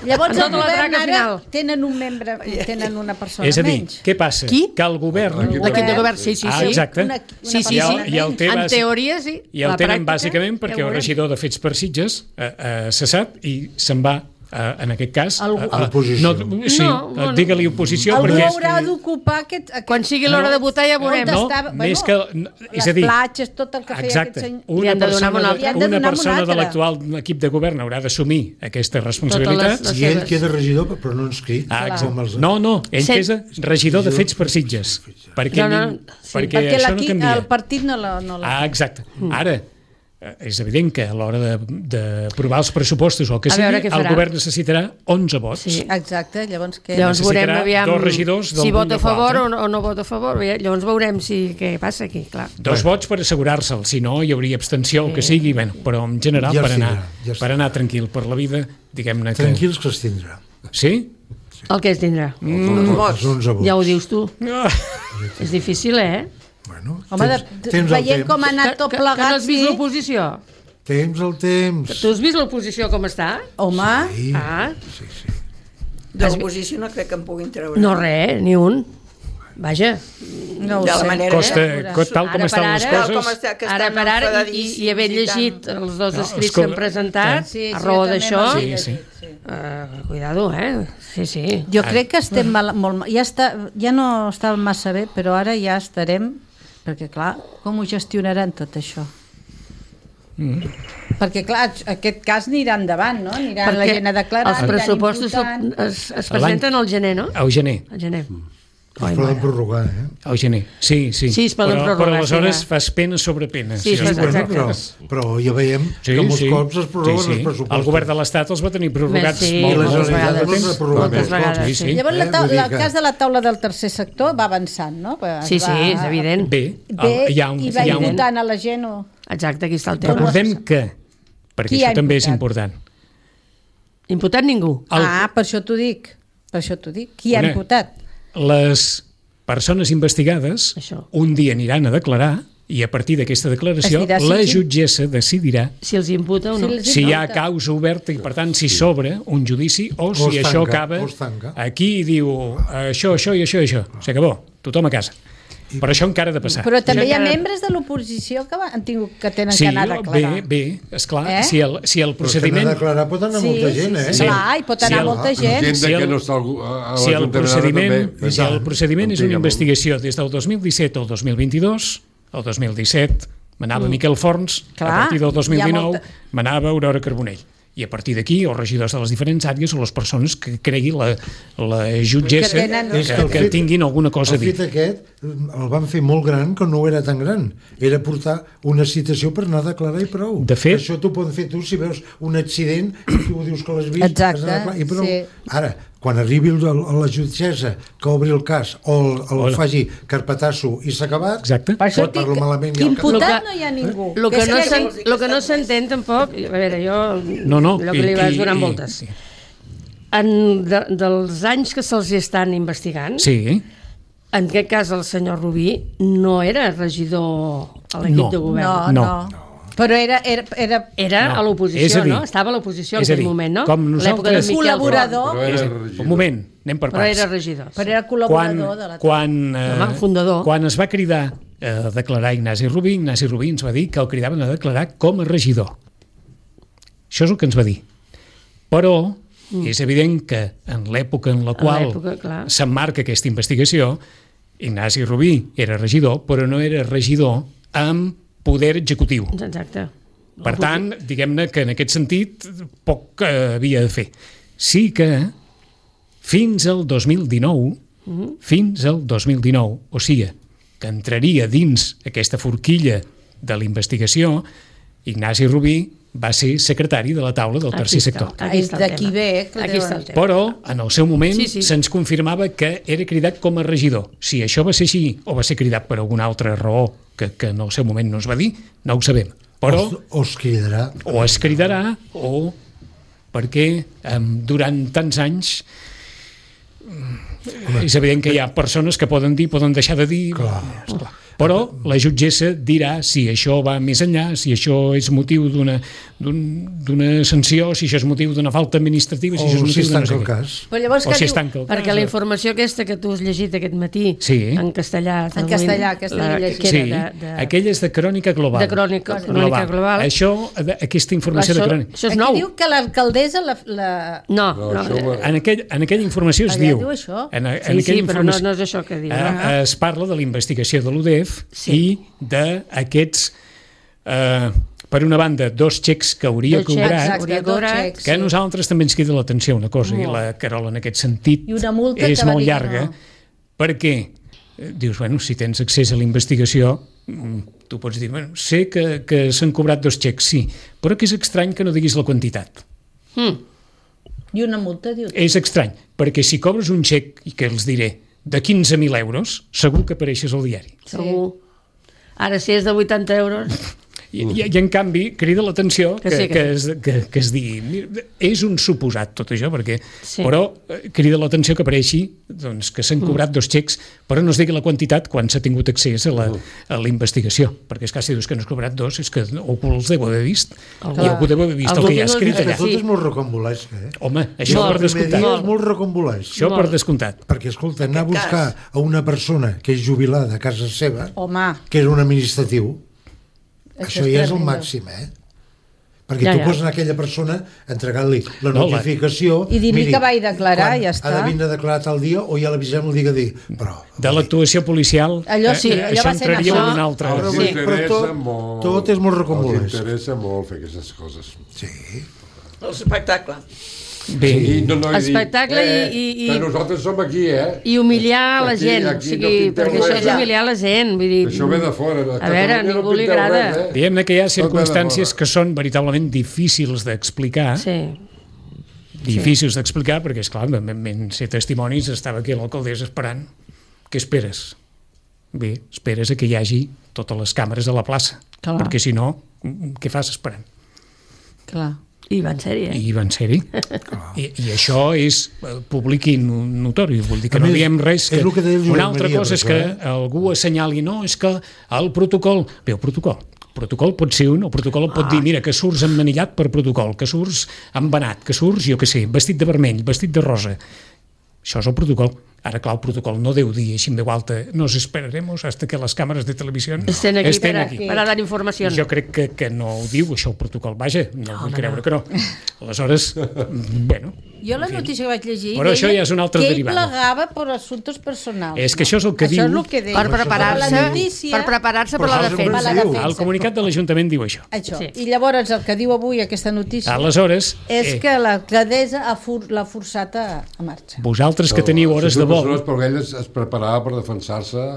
[SPEAKER 7] Llavors,
[SPEAKER 3] Amb
[SPEAKER 7] el
[SPEAKER 3] tota la
[SPEAKER 7] govern
[SPEAKER 3] traca
[SPEAKER 7] ara
[SPEAKER 3] final.
[SPEAKER 7] tenen un membre, tenen una persona
[SPEAKER 2] És a dir,
[SPEAKER 7] menys.
[SPEAKER 2] què passa?
[SPEAKER 3] Qui?
[SPEAKER 2] Que el govern...
[SPEAKER 3] L'equip de govern, sí, sí,
[SPEAKER 2] Ah,
[SPEAKER 3] sí.
[SPEAKER 2] exacte.
[SPEAKER 7] Una, una
[SPEAKER 3] Sí, sí,
[SPEAKER 2] I el,
[SPEAKER 7] persona
[SPEAKER 2] i el
[SPEAKER 7] menys.
[SPEAKER 2] té
[SPEAKER 3] En
[SPEAKER 2] bàsic-
[SPEAKER 3] teoria, sí.
[SPEAKER 2] I el
[SPEAKER 3] La
[SPEAKER 2] tenen
[SPEAKER 3] pràctica,
[SPEAKER 2] bàsicament
[SPEAKER 3] ja
[SPEAKER 2] perquè
[SPEAKER 3] ho
[SPEAKER 2] el
[SPEAKER 3] veurem.
[SPEAKER 2] regidor de Fets per Sitges eh, eh, cessat i se'n va, eh, en aquest cas...
[SPEAKER 7] Algú-
[SPEAKER 2] eh,
[SPEAKER 4] A l'oposició.
[SPEAKER 2] No, sí,
[SPEAKER 3] No, no, no.
[SPEAKER 2] digue-li oposició
[SPEAKER 7] Algú
[SPEAKER 2] perquè...
[SPEAKER 7] haurà d'ocupar aquest, aquest...
[SPEAKER 3] Quan sigui l'hora de votar ja veurem.
[SPEAKER 7] On
[SPEAKER 2] No,
[SPEAKER 7] estava-
[SPEAKER 2] més que... no, és
[SPEAKER 7] les
[SPEAKER 2] a dir,
[SPEAKER 7] platges, tot el que feia
[SPEAKER 2] exacte,
[SPEAKER 7] aquest senyor.
[SPEAKER 3] Li
[SPEAKER 2] una
[SPEAKER 3] han de donar
[SPEAKER 2] persona,
[SPEAKER 3] una
[SPEAKER 2] de,
[SPEAKER 3] altra.
[SPEAKER 7] Li han de
[SPEAKER 2] una
[SPEAKER 7] donar
[SPEAKER 2] persona
[SPEAKER 7] una
[SPEAKER 2] de
[SPEAKER 7] altra.
[SPEAKER 2] l'actual equip de govern haurà d'assumir aquesta responsabilitat.
[SPEAKER 3] les-
[SPEAKER 4] I ell
[SPEAKER 3] seves.
[SPEAKER 4] queda regidor, però no inscrit.
[SPEAKER 2] Ah,
[SPEAKER 4] com els...
[SPEAKER 2] no, no, ell
[SPEAKER 3] Set-
[SPEAKER 2] és regidor de Fets per Sitges. Perquè,
[SPEAKER 3] No, no, sí.
[SPEAKER 2] perquè,
[SPEAKER 7] Perquè
[SPEAKER 2] això no
[SPEAKER 7] l'equip-
[SPEAKER 2] canvia.
[SPEAKER 7] el partit no la... No la...
[SPEAKER 2] Ah, exacte. Ara, eh, és evident que a l'hora de- d'aprovar els pressupostos o el que
[SPEAKER 3] A
[SPEAKER 2] sigui,
[SPEAKER 3] veure què
[SPEAKER 2] el
[SPEAKER 3] farà.
[SPEAKER 2] govern necessitarà onze vots.
[SPEAKER 3] Sí.
[SPEAKER 7] Exacte, llavors què?
[SPEAKER 3] Llavors veurem
[SPEAKER 2] Necessitarà
[SPEAKER 3] aviam
[SPEAKER 2] dos regidors del
[SPEAKER 3] si
[SPEAKER 2] punt
[SPEAKER 3] vota
[SPEAKER 2] de
[SPEAKER 3] a favor
[SPEAKER 2] quatre.
[SPEAKER 3] o no, o no vota a favor. Llavors veurem si què passa aquí, clar.
[SPEAKER 2] Dos vots per assegurar-se'l, si no hi hauria abstenció o el que sigui, bueno, però en general
[SPEAKER 4] Ja
[SPEAKER 2] per,
[SPEAKER 4] es
[SPEAKER 2] anar,
[SPEAKER 4] tindrà, ja es
[SPEAKER 2] per anar tranquil per la vida, diguem-ne que...
[SPEAKER 4] Tranquils que es tindrà.
[SPEAKER 2] Sí?
[SPEAKER 3] El que es tindrà.
[SPEAKER 5] Mm.
[SPEAKER 4] Els onze vots.
[SPEAKER 3] Ja ho dius tu.
[SPEAKER 2] Ah,
[SPEAKER 3] És difícil, eh?
[SPEAKER 4] Bueno,
[SPEAKER 7] Home, de,
[SPEAKER 4] tens, tens el
[SPEAKER 7] veient
[SPEAKER 4] temps.
[SPEAKER 7] com ha
[SPEAKER 3] Que,
[SPEAKER 7] anat tot
[SPEAKER 3] que, que no
[SPEAKER 7] plegat,
[SPEAKER 3] has vist
[SPEAKER 7] sí.
[SPEAKER 3] l'oposició?
[SPEAKER 4] Temps el temps.
[SPEAKER 3] Tu has vist l'oposició com està?
[SPEAKER 7] Home,
[SPEAKER 4] Sí,
[SPEAKER 3] Ah,
[SPEAKER 4] sí, sí.
[SPEAKER 5] De l'oposició no crec que en puguin treure.
[SPEAKER 3] no res, ni un. Vaja,
[SPEAKER 7] no ho
[SPEAKER 5] de la
[SPEAKER 7] sé.
[SPEAKER 5] manera
[SPEAKER 2] costa,
[SPEAKER 5] que-
[SPEAKER 2] co- tal com
[SPEAKER 3] Ara
[SPEAKER 2] estan
[SPEAKER 3] per
[SPEAKER 2] les
[SPEAKER 3] ara-
[SPEAKER 5] Tal com
[SPEAKER 2] coses...
[SPEAKER 5] està, que
[SPEAKER 3] ara
[SPEAKER 5] estan
[SPEAKER 3] per ara, i,
[SPEAKER 5] enfadadíssims
[SPEAKER 3] i haver
[SPEAKER 5] i
[SPEAKER 3] llegit
[SPEAKER 5] tant.
[SPEAKER 3] els dos
[SPEAKER 2] No,
[SPEAKER 3] escrits
[SPEAKER 2] escolta,
[SPEAKER 3] que han presentat,
[SPEAKER 7] Sí, sí,
[SPEAKER 3] a raó
[SPEAKER 7] jo també
[SPEAKER 3] d'això,
[SPEAKER 7] me'l
[SPEAKER 2] Sí,
[SPEAKER 7] he
[SPEAKER 2] sí.
[SPEAKER 7] llegit,
[SPEAKER 3] uh, cuidado, eh? Sí, sí.
[SPEAKER 7] Jo crec que estem mal, molt mal. Ja, està, ja no està massa bé, però ara ja estarem, perquè clar, com ho gestionaran tot això? Mm. Perquè clar, aquest cas anirà endavant, no? Anirà la gent a declarar,
[SPEAKER 3] els pressupostos
[SPEAKER 7] aniran imputant.
[SPEAKER 3] es, es presenten al gener, no?
[SPEAKER 2] Al gener.
[SPEAKER 3] Al gener.
[SPEAKER 4] Es poden prorrogar, eh?
[SPEAKER 2] Al gener, sí, sí.
[SPEAKER 3] Sí, es poden
[SPEAKER 2] però,
[SPEAKER 3] prorrogar,
[SPEAKER 2] però aleshores
[SPEAKER 3] sí, ja.
[SPEAKER 2] fas pena sobre pena.
[SPEAKER 3] Sí,
[SPEAKER 4] Sí,
[SPEAKER 3] Exacte.
[SPEAKER 4] bueno, però, però ja veiem
[SPEAKER 2] Sí,
[SPEAKER 4] que molts
[SPEAKER 2] sí.
[SPEAKER 4] cops es prorroguen
[SPEAKER 2] sí, sí.
[SPEAKER 4] els pressupostos.
[SPEAKER 2] El govern de l'Estat els va tenir prorrogats
[SPEAKER 3] Sí,
[SPEAKER 2] molt,
[SPEAKER 4] I la
[SPEAKER 2] molt,
[SPEAKER 3] moltes
[SPEAKER 4] Generalitat
[SPEAKER 3] vegades.
[SPEAKER 4] els ha prorrogat
[SPEAKER 3] Moltes
[SPEAKER 4] molts cops.
[SPEAKER 3] vegades,
[SPEAKER 2] Sí,
[SPEAKER 3] sí.
[SPEAKER 2] sí.
[SPEAKER 7] Llavors, la,
[SPEAKER 4] Eh,
[SPEAKER 7] taula,
[SPEAKER 4] vull dir
[SPEAKER 7] el
[SPEAKER 4] que-
[SPEAKER 7] cas de la taula del tercer sector va avançant, no? Es
[SPEAKER 3] Sí, sí,
[SPEAKER 7] va,
[SPEAKER 3] és evident.
[SPEAKER 2] Bé,
[SPEAKER 7] Bé,
[SPEAKER 2] el- hi ha un,
[SPEAKER 7] i va
[SPEAKER 2] hi ha un,
[SPEAKER 7] imputant a la gent o...
[SPEAKER 3] Exacte, aquí està el tema.
[SPEAKER 2] recordem que, perquè
[SPEAKER 7] Qui ha
[SPEAKER 2] això també és
[SPEAKER 7] imputat?
[SPEAKER 2] important,
[SPEAKER 3] Imputat ningú.
[SPEAKER 2] el,
[SPEAKER 7] Ah, per això t'ho dic. Per això t'ho dic. Qui ha
[SPEAKER 2] Una-
[SPEAKER 7] imputat?
[SPEAKER 2] les persones investigades
[SPEAKER 3] Això.
[SPEAKER 2] un dia aniran a declarar i a partir d'aquesta declaració
[SPEAKER 7] Es dirà si
[SPEAKER 2] la
[SPEAKER 7] els-
[SPEAKER 2] jutgessa decidirà
[SPEAKER 3] Si els imputa o no.
[SPEAKER 7] Si els-
[SPEAKER 2] si hi ha
[SPEAKER 7] imputa.
[SPEAKER 2] causa oberta i per tant si s'obre un judici o si
[SPEAKER 4] O es
[SPEAKER 2] això
[SPEAKER 4] tanca,
[SPEAKER 2] acaba
[SPEAKER 4] o es tanca.
[SPEAKER 2] aquí i diu això, això i això i això, s'acabó, tothom a casa. Però això encara ha de passar.
[SPEAKER 7] Però també hi ha
[SPEAKER 3] encara-
[SPEAKER 7] membres de l'oposició que va- han tingut que tenen
[SPEAKER 2] Sí,
[SPEAKER 7] que anar a declarar.
[SPEAKER 2] bé, bé, esclar,
[SPEAKER 7] Eh?
[SPEAKER 2] si el, si el
[SPEAKER 4] Però que
[SPEAKER 2] procediment
[SPEAKER 4] anar a declarar pot anar
[SPEAKER 7] Sí,
[SPEAKER 4] molta
[SPEAKER 7] sí,
[SPEAKER 4] gent,
[SPEAKER 7] sí,
[SPEAKER 4] eh?
[SPEAKER 2] Sí.
[SPEAKER 7] clar, hi pot anar
[SPEAKER 2] Sí, el-
[SPEAKER 7] molta gent.
[SPEAKER 6] Gent
[SPEAKER 2] Si
[SPEAKER 6] de que
[SPEAKER 2] el-
[SPEAKER 6] no està al- a, a
[SPEAKER 2] si el
[SPEAKER 6] l'Ajuntament
[SPEAKER 2] procediment,
[SPEAKER 6] també,
[SPEAKER 2] si el procediment és una
[SPEAKER 6] antigament.
[SPEAKER 2] investigació des del dos mil disset al dos mil vint-i-dos, el dos mil disset manava Miquel Forns,
[SPEAKER 7] Clar,
[SPEAKER 2] a partir del dos mil
[SPEAKER 7] hi ha
[SPEAKER 2] dinou
[SPEAKER 7] molta-
[SPEAKER 2] manava Aurora Carbonell. I a partir d'aquí, els regidors de les diferents àrees o les persones que cregui la, la jutgessa
[SPEAKER 7] Que
[SPEAKER 2] que,
[SPEAKER 7] tenen-
[SPEAKER 2] que,
[SPEAKER 4] És que el
[SPEAKER 2] que
[SPEAKER 4] fet-
[SPEAKER 2] tinguin alguna cosa a
[SPEAKER 4] El
[SPEAKER 2] dir.
[SPEAKER 4] fet aquest el van fer molt gran que no era tan gran. Era portar una citació per anar a declarar i prou.
[SPEAKER 2] De fet-
[SPEAKER 4] Això t'ho poden fer tu si veus un accident i tu dius que l'has vist.
[SPEAKER 7] Exacte,
[SPEAKER 4] has d'anar a declarar, i prou.
[SPEAKER 7] sí.
[SPEAKER 4] Ara, quan arribi el, a la jutgessa que obri el cas o el, el
[SPEAKER 2] Hola.
[SPEAKER 4] faci carpetasso i s'ha acabat,
[SPEAKER 2] Exacte.
[SPEAKER 7] Per això
[SPEAKER 4] pot parlar
[SPEAKER 7] dic
[SPEAKER 4] malament
[SPEAKER 7] que
[SPEAKER 4] i al
[SPEAKER 7] imputat
[SPEAKER 3] cap-
[SPEAKER 7] no hi ha ningú.
[SPEAKER 3] El que,
[SPEAKER 7] és
[SPEAKER 3] no
[SPEAKER 7] que-
[SPEAKER 3] s'en- lo que no s'entén tampoc, a veure, jo
[SPEAKER 2] No, no,
[SPEAKER 3] allò que
[SPEAKER 2] i-
[SPEAKER 3] li vas
[SPEAKER 2] i-
[SPEAKER 3] donant
[SPEAKER 2] i-
[SPEAKER 3] voltes.
[SPEAKER 2] sí.
[SPEAKER 3] En de, dels anys que se'ls estan investigant,
[SPEAKER 2] Sí,
[SPEAKER 3] en aquest cas el senyor Rubí no era regidor a l'equip
[SPEAKER 2] No.
[SPEAKER 3] de govern.
[SPEAKER 7] No,
[SPEAKER 2] No.
[SPEAKER 7] no. Però era... era, era
[SPEAKER 3] Era
[SPEAKER 2] No.
[SPEAKER 3] a
[SPEAKER 2] És
[SPEAKER 3] l'oposició,
[SPEAKER 2] a dir-
[SPEAKER 3] no? Estava a l'oposició en
[SPEAKER 2] és a
[SPEAKER 3] aquell
[SPEAKER 2] dir,
[SPEAKER 3] moment, no?
[SPEAKER 2] com
[SPEAKER 3] L'època de
[SPEAKER 2] nosaltres-
[SPEAKER 3] Miquel
[SPEAKER 7] Col·laborador.
[SPEAKER 6] Però era
[SPEAKER 2] és,
[SPEAKER 6] regidor.
[SPEAKER 2] un moment, anem per
[SPEAKER 3] Font, però
[SPEAKER 2] parts.
[SPEAKER 3] era regidor.
[SPEAKER 7] però era
[SPEAKER 2] quan,
[SPEAKER 7] col·laborador de la...
[SPEAKER 2] quan, eh,
[SPEAKER 3] Home, fundador.
[SPEAKER 2] quan es va cridar a declarar Ignasi Rubí, Ignasi Rubí ens va dir que el cridaven a declarar com a regidor. Això és el que ens va dir. Però mm. és evident que en l'època en la qual
[SPEAKER 3] l'època, clar.
[SPEAKER 2] s'emmarca aquesta investigació, Ignasi Rubí era regidor, però no era regidor amb poder executiu.
[SPEAKER 3] Exacte.
[SPEAKER 2] Per tant, diguem-ne que en aquest sentit poc eh, havia de fer. Sí que fins al dos mil dinou,
[SPEAKER 3] Mm-hmm.
[SPEAKER 2] fins al dos mil dinou, o sigui, que entraria dins aquesta forquilla de la investigació, Ignasi Rubí va ser secretari de la taula del
[SPEAKER 3] Aquí
[SPEAKER 2] tercer
[SPEAKER 3] està.
[SPEAKER 2] sector.
[SPEAKER 3] Aquí està el
[SPEAKER 7] D'aquí
[SPEAKER 3] tema.
[SPEAKER 7] ve, que
[SPEAKER 3] Aquí
[SPEAKER 7] deuen-
[SPEAKER 3] està el tema.
[SPEAKER 2] Però, en el seu moment,
[SPEAKER 3] Sí, sí.
[SPEAKER 2] se'ns confirmava que era cridat com a regidor. Si això va ser així o va ser cridat per alguna altra raó que, que en el seu moment no es va dir, no ho sabem. Però
[SPEAKER 4] o, o es cridarà.
[SPEAKER 2] o es cridarà o perquè eh, durant tants anys mm, és evident que hi ha persones que poden dir, poden deixar de dir.
[SPEAKER 4] Clar.
[SPEAKER 2] Esclar. Però la jutgessa dirà si això va més enllà, si això és motiu d'una d'una sanció, si això és motiu d'una falta administrativa, si
[SPEAKER 4] O
[SPEAKER 2] això és
[SPEAKER 4] si
[SPEAKER 2] motiu
[SPEAKER 4] es
[SPEAKER 2] de no
[SPEAKER 4] tanca
[SPEAKER 2] sé
[SPEAKER 4] el
[SPEAKER 2] què.
[SPEAKER 4] cas.
[SPEAKER 7] Però llavors
[SPEAKER 2] O
[SPEAKER 7] que
[SPEAKER 2] si
[SPEAKER 7] diu...
[SPEAKER 2] es tanca el cas.
[SPEAKER 3] Perquè la informació aquesta que tu has llegit aquest matí,
[SPEAKER 2] Sí.
[SPEAKER 3] en castellà...
[SPEAKER 7] En castellà, aquesta
[SPEAKER 3] la,
[SPEAKER 7] l'he llegit.
[SPEAKER 3] que
[SPEAKER 2] Sí,
[SPEAKER 3] era de, de,
[SPEAKER 2] aquella és de crònica global.
[SPEAKER 3] de crònica, crònica global.
[SPEAKER 2] Això, de- aquesta informació
[SPEAKER 3] Això,
[SPEAKER 2] de crònica...
[SPEAKER 3] això és
[SPEAKER 7] Aquí
[SPEAKER 3] nou.
[SPEAKER 7] diu que l'alcaldessa... La, la...
[SPEAKER 3] No,
[SPEAKER 6] No,
[SPEAKER 3] no.
[SPEAKER 6] això ho-
[SPEAKER 2] En, aquell, en aquella informació es
[SPEAKER 7] Allà
[SPEAKER 2] diu...
[SPEAKER 7] diu això?
[SPEAKER 2] En, en
[SPEAKER 3] Sí, sí,
[SPEAKER 2] aquella
[SPEAKER 3] però no,
[SPEAKER 2] informació,
[SPEAKER 3] no és això que diu.
[SPEAKER 2] eh,
[SPEAKER 3] no?
[SPEAKER 2] es parla de la investigació de l'U D E F
[SPEAKER 3] Sí.
[SPEAKER 2] i d'aquests... Eh, per una banda, dos xecs que hauria
[SPEAKER 3] Dos xecs,
[SPEAKER 2] cobrat,
[SPEAKER 3] exacte. hauria
[SPEAKER 7] dos
[SPEAKER 3] cobrat,
[SPEAKER 7] xecs,
[SPEAKER 2] que a
[SPEAKER 7] sí.
[SPEAKER 2] nosaltres també ens crida l'atenció una cosa, i
[SPEAKER 3] Molt.
[SPEAKER 2] la Carola en aquest sentit
[SPEAKER 7] I una multa
[SPEAKER 2] és
[SPEAKER 7] que va
[SPEAKER 2] molt
[SPEAKER 7] dir que
[SPEAKER 2] llarga,
[SPEAKER 7] no.
[SPEAKER 2] perquè eh, dius, bueno, si tens accés a la investigació, mm, tu pots dir, bueno, sé que, que s'han cobrat dos xecs, sí, però que és estrany que no diguis la quantitat.
[SPEAKER 3] Mm.
[SPEAKER 7] I una multa, diu.
[SPEAKER 2] És estrany, perquè si cobres un xec, i que els diré, de quinze mil euros, segur que apareixes al diari.
[SPEAKER 3] Segur. Ara, si és de vuitanta euros...
[SPEAKER 2] I, i, i en canvi, crida l'atenció que,
[SPEAKER 3] Que sí, que
[SPEAKER 2] que, es, que, que es digui... mira, és un suposat tot això, perquè,
[SPEAKER 3] Sí.
[SPEAKER 2] però eh, crida l'atenció que apareixi doncs, que s'han cobrat dos xecs, però no es digui la quantitat quan s'ha tingut accés a la, a la investigació, perquè és que si dius que no has cobrat dos, és que algú els deu haver vist,
[SPEAKER 3] Algú-
[SPEAKER 2] i algú deu haver vist el
[SPEAKER 3] algú
[SPEAKER 2] que hi ha
[SPEAKER 3] tinc
[SPEAKER 2] escrit
[SPEAKER 3] el-
[SPEAKER 2] allà.
[SPEAKER 4] Tot
[SPEAKER 3] Sí.
[SPEAKER 4] és molt rocambolesc, eh?
[SPEAKER 2] Home, això
[SPEAKER 3] Molt.
[SPEAKER 2] per
[SPEAKER 4] El primer
[SPEAKER 2] descomptat.
[SPEAKER 4] dia és molt rocambolesc.
[SPEAKER 2] Això per
[SPEAKER 3] Molt.
[SPEAKER 2] descomptat.
[SPEAKER 4] Perquè, escolta, anar a
[SPEAKER 5] Aquest
[SPEAKER 4] buscar a una persona que és jubilada a casa seva,
[SPEAKER 7] Home,
[SPEAKER 4] que és un administratiu,
[SPEAKER 7] Això
[SPEAKER 4] això
[SPEAKER 7] és
[SPEAKER 4] ja és el
[SPEAKER 7] tremendo.
[SPEAKER 4] màxim, eh? Perquè
[SPEAKER 3] Ja,
[SPEAKER 4] tu
[SPEAKER 3] ja.
[SPEAKER 4] poses a aquella persona entregant-li la
[SPEAKER 2] No, la-
[SPEAKER 4] notificació...
[SPEAKER 7] I dir-li
[SPEAKER 4] miri,
[SPEAKER 7] que vaig declarar,
[SPEAKER 4] quan
[SPEAKER 7] ja
[SPEAKER 4] Ha
[SPEAKER 7] està.
[SPEAKER 4] de vindre a declarar tal dia o ja l'avisem el dia que dir. Però,
[SPEAKER 2] De l'actuació policial,
[SPEAKER 7] Allò sí,
[SPEAKER 2] eh,
[SPEAKER 7] allò
[SPEAKER 2] això
[SPEAKER 7] va ser
[SPEAKER 2] entraria en
[SPEAKER 3] això.
[SPEAKER 2] un altre...
[SPEAKER 6] Els
[SPEAKER 3] Sí.
[SPEAKER 6] interessa
[SPEAKER 4] Però tot-
[SPEAKER 6] molt...
[SPEAKER 4] tot és molt
[SPEAKER 6] Els
[SPEAKER 4] rocambolesc.
[SPEAKER 6] interessa molt fer aquestes coses.
[SPEAKER 4] sí.
[SPEAKER 5] L'espectacle.
[SPEAKER 2] Bé,
[SPEAKER 6] I no, no, i dir,
[SPEAKER 3] Espectacle i-
[SPEAKER 6] eh,
[SPEAKER 3] i- i-
[SPEAKER 6] que nosaltres som aquí, eh?
[SPEAKER 3] I humillar la
[SPEAKER 6] Aquí-
[SPEAKER 3] gent,
[SPEAKER 6] aquí
[SPEAKER 3] o
[SPEAKER 6] no
[SPEAKER 3] sigui,
[SPEAKER 6] pinteu
[SPEAKER 3] perquè això
[SPEAKER 6] res,
[SPEAKER 3] és
[SPEAKER 6] eh?
[SPEAKER 3] humillar la gent, vull dir...
[SPEAKER 6] Això ve de fora.
[SPEAKER 3] A veure, a ningú li agrada.
[SPEAKER 2] diguem-ne que hi ha
[SPEAKER 6] Tot ve de
[SPEAKER 2] circumstàncies
[SPEAKER 6] fora.
[SPEAKER 2] que són veritablement difícils d'explicar,
[SPEAKER 3] Sí.
[SPEAKER 2] difícils d'explicar, perquè, esclar, vam, vam ser testimonis, estava aquí l'alcaldessa esperant. Què esperes? Bé, esperes a que hi hagi totes les càmeres a la plaça,
[SPEAKER 7] Clar.
[SPEAKER 2] perquè si no, què fas esperant?
[SPEAKER 7] clar.
[SPEAKER 3] I van ser-hi, eh?
[SPEAKER 2] I van ser-hi. I, I això és eh, públic i no- notori. Vull dir que
[SPEAKER 4] A
[SPEAKER 2] no
[SPEAKER 4] més,
[SPEAKER 2] diem res.
[SPEAKER 4] és
[SPEAKER 2] Que...
[SPEAKER 4] el que deia el Josep
[SPEAKER 2] Una altra
[SPEAKER 4] Maria,
[SPEAKER 2] cosa és
[SPEAKER 4] per
[SPEAKER 2] que
[SPEAKER 4] això, eh?
[SPEAKER 2] algú assenyali, no, és que el protocol... Bé, el protocol. El protocol pot ser un, el protocol et pot dir, mira, que surts emmanillat per protocol, que surts embenat, que surts, jo què sé, vestit de vermell, vestit de rosa. Això és el protocol. Ara, clar, el protocol no deu dir així en veu alta, nos esperaremos hasta que les càmeres de televisió
[SPEAKER 3] Estem aquí,
[SPEAKER 2] estén
[SPEAKER 3] per, a,
[SPEAKER 2] aquí.
[SPEAKER 3] per a dar informació.
[SPEAKER 2] Jo crec que, que no ho diu això el protocol, vaja, no vull creure que no. Aleshores, bueno,
[SPEAKER 7] Jo la notícia que vaig llegir
[SPEAKER 2] Però això
[SPEAKER 7] deia
[SPEAKER 2] ja és una altra
[SPEAKER 7] que ell
[SPEAKER 2] derivada.
[SPEAKER 7] plegava per assumptes personals.
[SPEAKER 2] És que això és el que
[SPEAKER 7] això
[SPEAKER 2] diu-
[SPEAKER 7] és el que deia.
[SPEAKER 3] Per preparar-se
[SPEAKER 7] La notícia,
[SPEAKER 3] per preparar-se per
[SPEAKER 4] Però
[SPEAKER 3] la
[SPEAKER 4] això és el que
[SPEAKER 3] defensa.
[SPEAKER 7] per la
[SPEAKER 4] diu.
[SPEAKER 7] defensa.
[SPEAKER 2] el comunicat de l'Ajuntament diu això.
[SPEAKER 7] Això.
[SPEAKER 3] Sí.
[SPEAKER 7] I llavors el que diu avui aquesta notícia
[SPEAKER 2] Aleshores,
[SPEAKER 7] és
[SPEAKER 2] eh,
[SPEAKER 7] que l'alcaldessa ha for, l'ha forçat a, a marxa.
[SPEAKER 2] vosaltres que teniu hores de vol...
[SPEAKER 6] Però ell es, es preparava per defensar-se,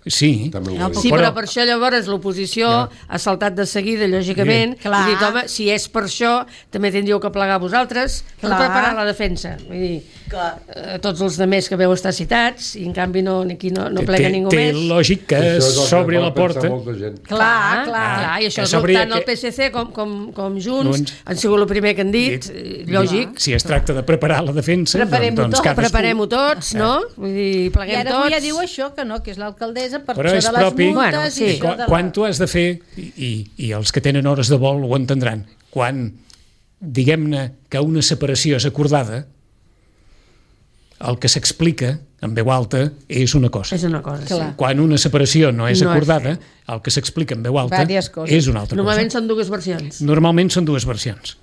[SPEAKER 2] Sí,
[SPEAKER 6] també ho
[SPEAKER 7] No,
[SPEAKER 6] va dir.
[SPEAKER 3] Sí,
[SPEAKER 2] Però-
[SPEAKER 3] però per això llavors l'oposició ha saltat de seguida, lògicament,
[SPEAKER 7] Sí. Clar.
[SPEAKER 3] i dit, home, si és per això, també tindríeu que plegar vosaltres per
[SPEAKER 7] Clar.
[SPEAKER 3] preparar la defensa. Vull dir,
[SPEAKER 5] Clar.
[SPEAKER 3] eh, tots els demés que veu estar citats, i en canvi no, aquí no, no plega
[SPEAKER 2] té,
[SPEAKER 3] ningú
[SPEAKER 2] té
[SPEAKER 3] més.
[SPEAKER 2] lògic que
[SPEAKER 6] Això és el que
[SPEAKER 2] s'obri
[SPEAKER 6] va
[SPEAKER 2] la
[SPEAKER 6] pensar
[SPEAKER 2] porta.
[SPEAKER 6] molta gent.
[SPEAKER 7] Clar, clar.
[SPEAKER 3] clar, i això
[SPEAKER 2] Que
[SPEAKER 3] és
[SPEAKER 2] s'obria
[SPEAKER 3] tant el
[SPEAKER 2] que-
[SPEAKER 3] P S C com, com, com Junts,
[SPEAKER 2] Junts.
[SPEAKER 3] han sigut el primer que han dit, eh, lògic.
[SPEAKER 2] Si es tracta de preparar la defensa,
[SPEAKER 7] Preparem-ho
[SPEAKER 2] doncs, doncs
[SPEAKER 7] tot,
[SPEAKER 2] cadascú...
[SPEAKER 3] Preparem-ho tots, no? Vull dir,
[SPEAKER 7] I
[SPEAKER 3] pleguem
[SPEAKER 7] ara
[SPEAKER 3] tots.
[SPEAKER 7] avui ja diu això, que no, que és l'alcaldessa per
[SPEAKER 2] Però
[SPEAKER 7] això
[SPEAKER 2] és
[SPEAKER 7] de les
[SPEAKER 2] propi...
[SPEAKER 7] multes
[SPEAKER 3] Bueno,
[SPEAKER 7] i
[SPEAKER 3] sí.
[SPEAKER 7] això
[SPEAKER 2] Quan,
[SPEAKER 7] de la...
[SPEAKER 2] quan tu has de fer, i, i, i els que tenen hores de vol ho entendran, quan diguem-ne que una separació és acordada, el que s'explica en veu alta és una cosa.
[SPEAKER 3] És una cosa,
[SPEAKER 7] Clar.
[SPEAKER 3] sí.
[SPEAKER 2] Quan una separació no és
[SPEAKER 3] No és
[SPEAKER 2] acordada, el que s'explica en veu alta
[SPEAKER 7] Vàries coses.
[SPEAKER 2] és una altra
[SPEAKER 3] Normalment
[SPEAKER 2] cosa.
[SPEAKER 3] són dues versions.
[SPEAKER 2] Normalment són dues versions.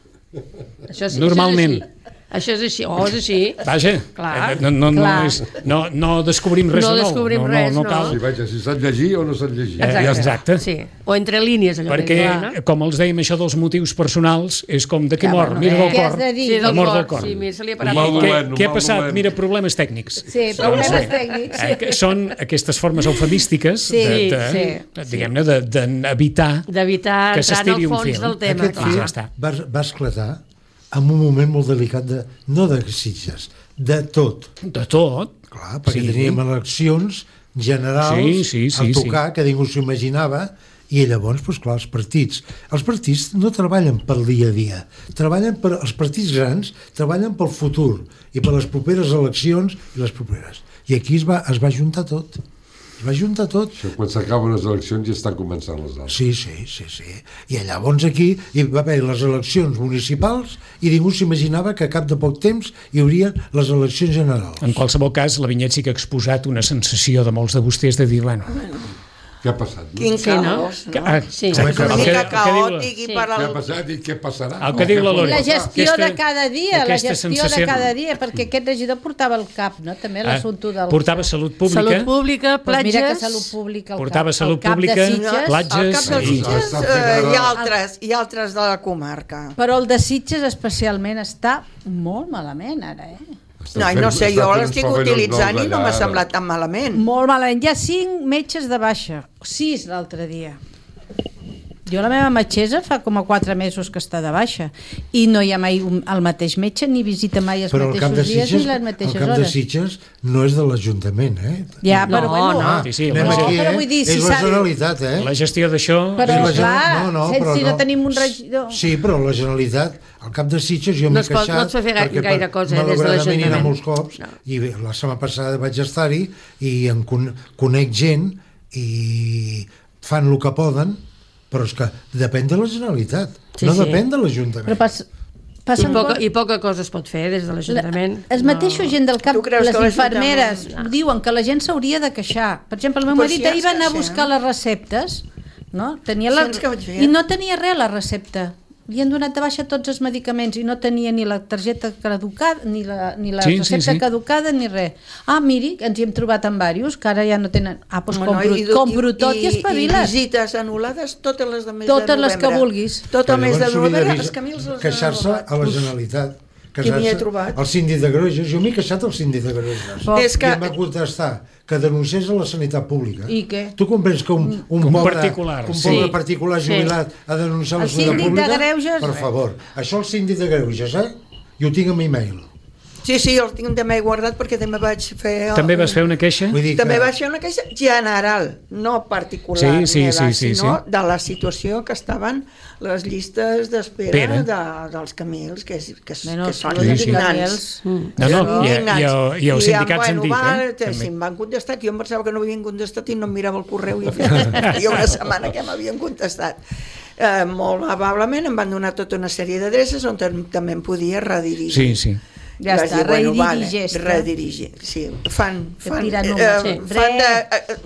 [SPEAKER 3] Això sí,
[SPEAKER 2] Normalment.
[SPEAKER 3] Això és així. Això és així. Oh, és així.
[SPEAKER 2] Vaja,
[SPEAKER 3] Clar.
[SPEAKER 2] eh, no, no, no,
[SPEAKER 7] Clar.
[SPEAKER 2] és, no, no descobrim res
[SPEAKER 3] No
[SPEAKER 2] de nou.
[SPEAKER 3] descobrim
[SPEAKER 2] no,
[SPEAKER 3] res,
[SPEAKER 2] no,
[SPEAKER 3] no.
[SPEAKER 2] cal.
[SPEAKER 6] Sí, vaja, si sap llegir o no sap llegir.
[SPEAKER 2] Eh, exacte.
[SPEAKER 3] Sí. O entre línies, allò
[SPEAKER 2] Perquè,
[SPEAKER 3] que diuen, no?
[SPEAKER 2] com els dèiem, això dels motius personals és com de què
[SPEAKER 7] Ja,
[SPEAKER 2] mor,
[SPEAKER 7] bueno,
[SPEAKER 2] mira
[SPEAKER 7] eh,
[SPEAKER 2] del
[SPEAKER 7] què has
[SPEAKER 2] cor.
[SPEAKER 7] de dir?
[SPEAKER 3] Sí,
[SPEAKER 2] la
[SPEAKER 3] del
[SPEAKER 2] mort del
[SPEAKER 3] cor.
[SPEAKER 2] cor.
[SPEAKER 3] Sí, mira, se li ha
[SPEAKER 6] Un
[SPEAKER 3] parat
[SPEAKER 6] mal
[SPEAKER 3] el cor.
[SPEAKER 2] Què,
[SPEAKER 6] dolent, un
[SPEAKER 2] què ha
[SPEAKER 6] mal
[SPEAKER 2] passat?
[SPEAKER 6] dolent.
[SPEAKER 2] Mira, problemes tècnics.
[SPEAKER 7] Sí, problemes
[SPEAKER 2] Doncs bé,
[SPEAKER 7] tècnics.
[SPEAKER 2] eh, que són aquestes formes eufemístiques
[SPEAKER 7] Sí,
[SPEAKER 2] de, de,
[SPEAKER 7] sí,
[SPEAKER 2] de, diguem-ne, de- d'evitar
[SPEAKER 3] D'evitar
[SPEAKER 2] que
[SPEAKER 3] entrar en
[SPEAKER 2] s'estiri
[SPEAKER 3] el
[SPEAKER 2] un
[SPEAKER 3] fons
[SPEAKER 2] fil.
[SPEAKER 3] del tema.
[SPEAKER 4] Aquest
[SPEAKER 2] clar.
[SPEAKER 4] fet
[SPEAKER 2] Ja està.
[SPEAKER 4] va, va esclatar en un moment molt delicat, de, no de Sitges, de tot.
[SPEAKER 2] De tot.
[SPEAKER 4] Clar, perquè
[SPEAKER 2] Sí.
[SPEAKER 4] teníem eleccions generals
[SPEAKER 2] Sí, sí, sí,
[SPEAKER 4] a tocar, que ningú s'ho imaginava, i llavors, doncs, clar, els partits. Els partits no treballen pel dia a dia, treballen per, els partits grans treballen pel futur i per les properes eleccions i les properes. I aquí es va, es va juntar tot. va juntar tot.
[SPEAKER 6] Això, quan s'acaben les eleccions ja estan començant les altres.
[SPEAKER 4] Sí, sí, sí, sí. I llavors aquí hi va haver les eleccions municipals i ningú s'imaginava que a cap de poc temps hi hauria les eleccions generals.
[SPEAKER 2] En qualsevol cas, la Vinyet sí que ha exposat una sensació de molts de vostès de dir, bueno...
[SPEAKER 6] Què ha passat? No?
[SPEAKER 5] Quin
[SPEAKER 3] Sí,
[SPEAKER 5] caos,
[SPEAKER 3] no?
[SPEAKER 5] no?
[SPEAKER 2] Ah,
[SPEAKER 3] Sí.
[SPEAKER 5] És una
[SPEAKER 2] el que-
[SPEAKER 5] mica
[SPEAKER 2] el que diu la-
[SPEAKER 5] caòtic i
[SPEAKER 3] Sí.
[SPEAKER 5] per
[SPEAKER 6] Què ha
[SPEAKER 5] al...
[SPEAKER 6] passat i què passarà?
[SPEAKER 2] El que diu la Lore.
[SPEAKER 7] La gestió
[SPEAKER 2] Aquesta-
[SPEAKER 7] de cada dia, la
[SPEAKER 2] aquesta
[SPEAKER 7] gestió de
[SPEAKER 2] sensació-
[SPEAKER 7] cada dia, perquè aquest regidor portava el cap, no? També
[SPEAKER 2] Ah,
[SPEAKER 7] l'assumpte del...
[SPEAKER 2] portava salut pública,
[SPEAKER 3] Salut pública,
[SPEAKER 7] Pues
[SPEAKER 3] platges...
[SPEAKER 7] mira que salut pública al
[SPEAKER 2] portava
[SPEAKER 7] cap,
[SPEAKER 2] salut
[SPEAKER 7] al cap
[SPEAKER 2] pública,
[SPEAKER 7] de Sitges,
[SPEAKER 2] platges...
[SPEAKER 5] Al cap dels
[SPEAKER 2] i-
[SPEAKER 5] Sitges
[SPEAKER 6] Està
[SPEAKER 5] eh,
[SPEAKER 6] fent
[SPEAKER 5] hi ha
[SPEAKER 6] ara-
[SPEAKER 5] altres, hi ha altres de la comarca.
[SPEAKER 7] però el de Sitges especialment està molt malament ara, eh?
[SPEAKER 6] Estan
[SPEAKER 5] No, i
[SPEAKER 6] fent-
[SPEAKER 5] no sé,
[SPEAKER 6] estan
[SPEAKER 5] jo
[SPEAKER 6] fent
[SPEAKER 5] l'estic
[SPEAKER 6] uns pavellons
[SPEAKER 5] utilitzant
[SPEAKER 6] nous
[SPEAKER 5] i no
[SPEAKER 6] allà,
[SPEAKER 5] m'ha
[SPEAKER 6] ara.
[SPEAKER 5] semblat tan malament.
[SPEAKER 7] Molt malament. Hi ha cinc metges de baixa, sis l'altre dia. Jo la meva metgessa fa com a quatre mesos que està de baixa i no hi ha mai un, el mateix metge ni visita mai els
[SPEAKER 4] Però el cap de
[SPEAKER 7] mateixos dies
[SPEAKER 4] Sitges,
[SPEAKER 7] ni les
[SPEAKER 4] el
[SPEAKER 7] mateixes
[SPEAKER 4] cap de
[SPEAKER 7] hores.
[SPEAKER 4] Sitges no és de l'Ajuntament, eh?
[SPEAKER 7] Ja,
[SPEAKER 3] No,
[SPEAKER 7] però bueno,
[SPEAKER 3] no.
[SPEAKER 2] Sí, sí,
[SPEAKER 4] anem
[SPEAKER 2] la-
[SPEAKER 4] aquí,
[SPEAKER 7] però
[SPEAKER 4] eh?
[SPEAKER 7] vull dir, si
[SPEAKER 4] és la
[SPEAKER 7] s'ha-
[SPEAKER 4] Generalitat, eh?
[SPEAKER 2] La gestió d'això...
[SPEAKER 7] Però,
[SPEAKER 4] És la
[SPEAKER 7] clar,
[SPEAKER 4] Generalitat- no, no,
[SPEAKER 7] si-
[SPEAKER 4] però
[SPEAKER 7] si no tenim un regidor-
[SPEAKER 4] Sí, però la Generalitat, al cap de Sitges, jo
[SPEAKER 3] No
[SPEAKER 4] m'he
[SPEAKER 3] es pot-
[SPEAKER 4] queixat...
[SPEAKER 3] no es pot fer gaire-
[SPEAKER 4] perquè
[SPEAKER 3] gaire
[SPEAKER 4] per-
[SPEAKER 3] cosa, eh, des de
[SPEAKER 4] malauradament hi ha
[SPEAKER 3] l'Ajuntament.
[SPEAKER 4] molts cops,
[SPEAKER 3] No.
[SPEAKER 4] i bé, la setmana passada vaig estar-hi i en con conec gent i fan el que poden, però és que depèn de la Generalitat,
[SPEAKER 3] Sí,
[SPEAKER 4] no
[SPEAKER 3] sí.
[SPEAKER 4] depèn de
[SPEAKER 7] Però
[SPEAKER 4] l'Ajuntament.
[SPEAKER 7] pas,
[SPEAKER 3] I
[SPEAKER 7] passen
[SPEAKER 3] poca,
[SPEAKER 7] coses-
[SPEAKER 3] I poca cosa es pot fer des de l'Ajuntament.
[SPEAKER 7] Els mateixos gent del camp,
[SPEAKER 5] Tu creus
[SPEAKER 7] les
[SPEAKER 5] que l'Ajuntament-
[SPEAKER 7] infermeres,
[SPEAKER 3] No.
[SPEAKER 7] diuen que la gent s'hauria de queixar. Per exemple, el meu
[SPEAKER 5] Però
[SPEAKER 7] marit
[SPEAKER 5] si ja
[SPEAKER 7] ahir va
[SPEAKER 5] ens
[SPEAKER 7] anar a
[SPEAKER 5] queixem.
[SPEAKER 7] buscar les receptes, no? Tenia
[SPEAKER 5] Si
[SPEAKER 7] la...
[SPEAKER 5] ens queixem.
[SPEAKER 7] I no tenia res la recepta. Li han donat de baixa tots els medicaments i no tenia ni la targeta caducada, ni la, ni la
[SPEAKER 2] Sí, sí,
[SPEAKER 7] recepta
[SPEAKER 2] sí.
[SPEAKER 7] caducada, ni res. Ah, miri, ens hi hem trobat amb diversos, que ara ja no tenen... Ah, doncs
[SPEAKER 5] Bueno,
[SPEAKER 7] compro,
[SPEAKER 5] i du-
[SPEAKER 7] compro tot i,
[SPEAKER 5] I
[SPEAKER 7] espaviles.
[SPEAKER 5] visites anul·lades, totes les de mes de
[SPEAKER 7] Totes les
[SPEAKER 5] novembre.
[SPEAKER 7] que vulguis.
[SPEAKER 5] Tot el
[SPEAKER 4] Però
[SPEAKER 5] mes de
[SPEAKER 4] llavors s'hauria
[SPEAKER 5] novembre,
[SPEAKER 4] d'avisar-
[SPEAKER 5] els camins els han
[SPEAKER 4] queixar-se
[SPEAKER 5] anul·lat.
[SPEAKER 4] a la Generalitat.
[SPEAKER 5] Qui m'hi he
[SPEAKER 4] Queixar-se
[SPEAKER 5] trobat?
[SPEAKER 4] al síndic de Greuges. Jo m'he queixat al síndic de Greuges.
[SPEAKER 7] Però-
[SPEAKER 5] És que-
[SPEAKER 4] I em va contestar que denunciés a la sanitat pública.
[SPEAKER 7] I què?
[SPEAKER 4] Tu comprens que un, un,
[SPEAKER 2] Un
[SPEAKER 4] pobre,
[SPEAKER 2] particular,
[SPEAKER 4] un
[SPEAKER 2] sí.
[SPEAKER 4] pobre particular
[SPEAKER 3] Sí.
[SPEAKER 4] jubilat ha de denunciar a la
[SPEAKER 7] El
[SPEAKER 4] sanitat
[SPEAKER 7] síndic de
[SPEAKER 4] pública?
[SPEAKER 7] Greuges,
[SPEAKER 4] Per
[SPEAKER 7] res.
[SPEAKER 4] favor. Això el síndic de Greuges, eh? I ho tinc en e-mail.
[SPEAKER 5] Sí, sí, el tinc també guardat perquè també vaig fer...
[SPEAKER 2] També vas fer una queixa?
[SPEAKER 4] Vull dir
[SPEAKER 5] També
[SPEAKER 4] que...
[SPEAKER 5] vaig fer una queixa general, no particular
[SPEAKER 2] Sí, sí,
[SPEAKER 5] meva,
[SPEAKER 2] sí, sí,
[SPEAKER 5] sinó
[SPEAKER 2] sí.
[SPEAKER 5] de la situació que estaven les llistes d'espera
[SPEAKER 2] Espera.
[SPEAKER 5] de, dels camils, que, és, que, és,
[SPEAKER 7] Bueno,
[SPEAKER 5] que són
[SPEAKER 2] sí, sí.
[SPEAKER 5] indignants.
[SPEAKER 2] No, no, i, i, i, i els sindicats
[SPEAKER 5] I,
[SPEAKER 2] han dit,
[SPEAKER 5] va,
[SPEAKER 2] eh?
[SPEAKER 5] Si
[SPEAKER 2] També.
[SPEAKER 5] em van contestar, que jo em pensava que no havien contestat i no em mirava el correu i hi ha una setmana que m'havien contestat. Eh, molt amablement em van donar tota una sèrie d'adreces on tam- també em podia redirigir.
[SPEAKER 2] Sí, sí.
[SPEAKER 7] Ja
[SPEAKER 5] Vaig
[SPEAKER 7] està,
[SPEAKER 5] dir, bueno, vale,
[SPEAKER 7] redirigeix-te.
[SPEAKER 5] redirigir, sí. Fan, fan,
[SPEAKER 7] tirar
[SPEAKER 5] eh,
[SPEAKER 7] números,
[SPEAKER 5] eh,
[SPEAKER 7] sí.
[SPEAKER 5] fan de... Eh, eh,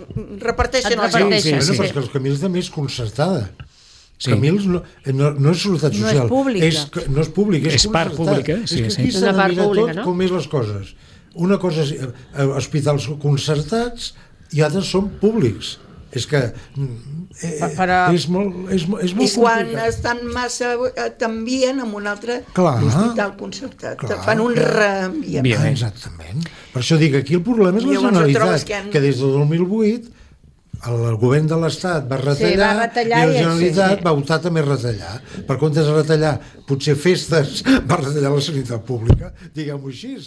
[SPEAKER 5] reparteixen
[SPEAKER 3] Et
[SPEAKER 5] els
[SPEAKER 3] reparteixen,
[SPEAKER 5] jocs.
[SPEAKER 2] Sí,
[SPEAKER 4] Bueno,
[SPEAKER 2] sí.
[SPEAKER 4] però és que els Camils també és concertada.
[SPEAKER 2] Sí.
[SPEAKER 4] Camils no, no, no és seguretat
[SPEAKER 7] No és
[SPEAKER 4] social.
[SPEAKER 7] pública.
[SPEAKER 4] És, que- no és públic, és,
[SPEAKER 2] És part
[SPEAKER 4] concertat.
[SPEAKER 2] pública, sí,
[SPEAKER 4] és que
[SPEAKER 2] sí.
[SPEAKER 4] aquí
[SPEAKER 3] És
[SPEAKER 4] s'ha
[SPEAKER 3] una
[SPEAKER 4] de
[SPEAKER 3] part
[SPEAKER 4] mirar
[SPEAKER 3] pública,
[SPEAKER 4] tot
[SPEAKER 3] no?
[SPEAKER 4] com és les coses. Una cosa és eh, eh, hospitals concertats i altres són públics. És que eh,
[SPEAKER 7] Però-
[SPEAKER 4] és molt, és, mo- és molt
[SPEAKER 5] I quan
[SPEAKER 4] complicat.
[SPEAKER 5] estan massa eh, t'envien amb un altre
[SPEAKER 4] Clar.
[SPEAKER 5] hospital concertat.
[SPEAKER 4] Clar,
[SPEAKER 5] Te fan un
[SPEAKER 4] clar.
[SPEAKER 5] reenviament.
[SPEAKER 2] Bien.
[SPEAKER 4] Ah, exactament. Per això dic, aquí el problema és la
[SPEAKER 5] Llavors et trobes
[SPEAKER 4] Generalitat,
[SPEAKER 5] que han-
[SPEAKER 4] que des del dos mil vuit el, el govern de l'Estat va retallar,
[SPEAKER 7] va retallar
[SPEAKER 4] i la
[SPEAKER 7] i-
[SPEAKER 4] Generalitat
[SPEAKER 7] sí, sí.
[SPEAKER 4] va optar també a retallar. Per comptes de retallar potser festes, va retallar la sanitat pública, diguem-ho així.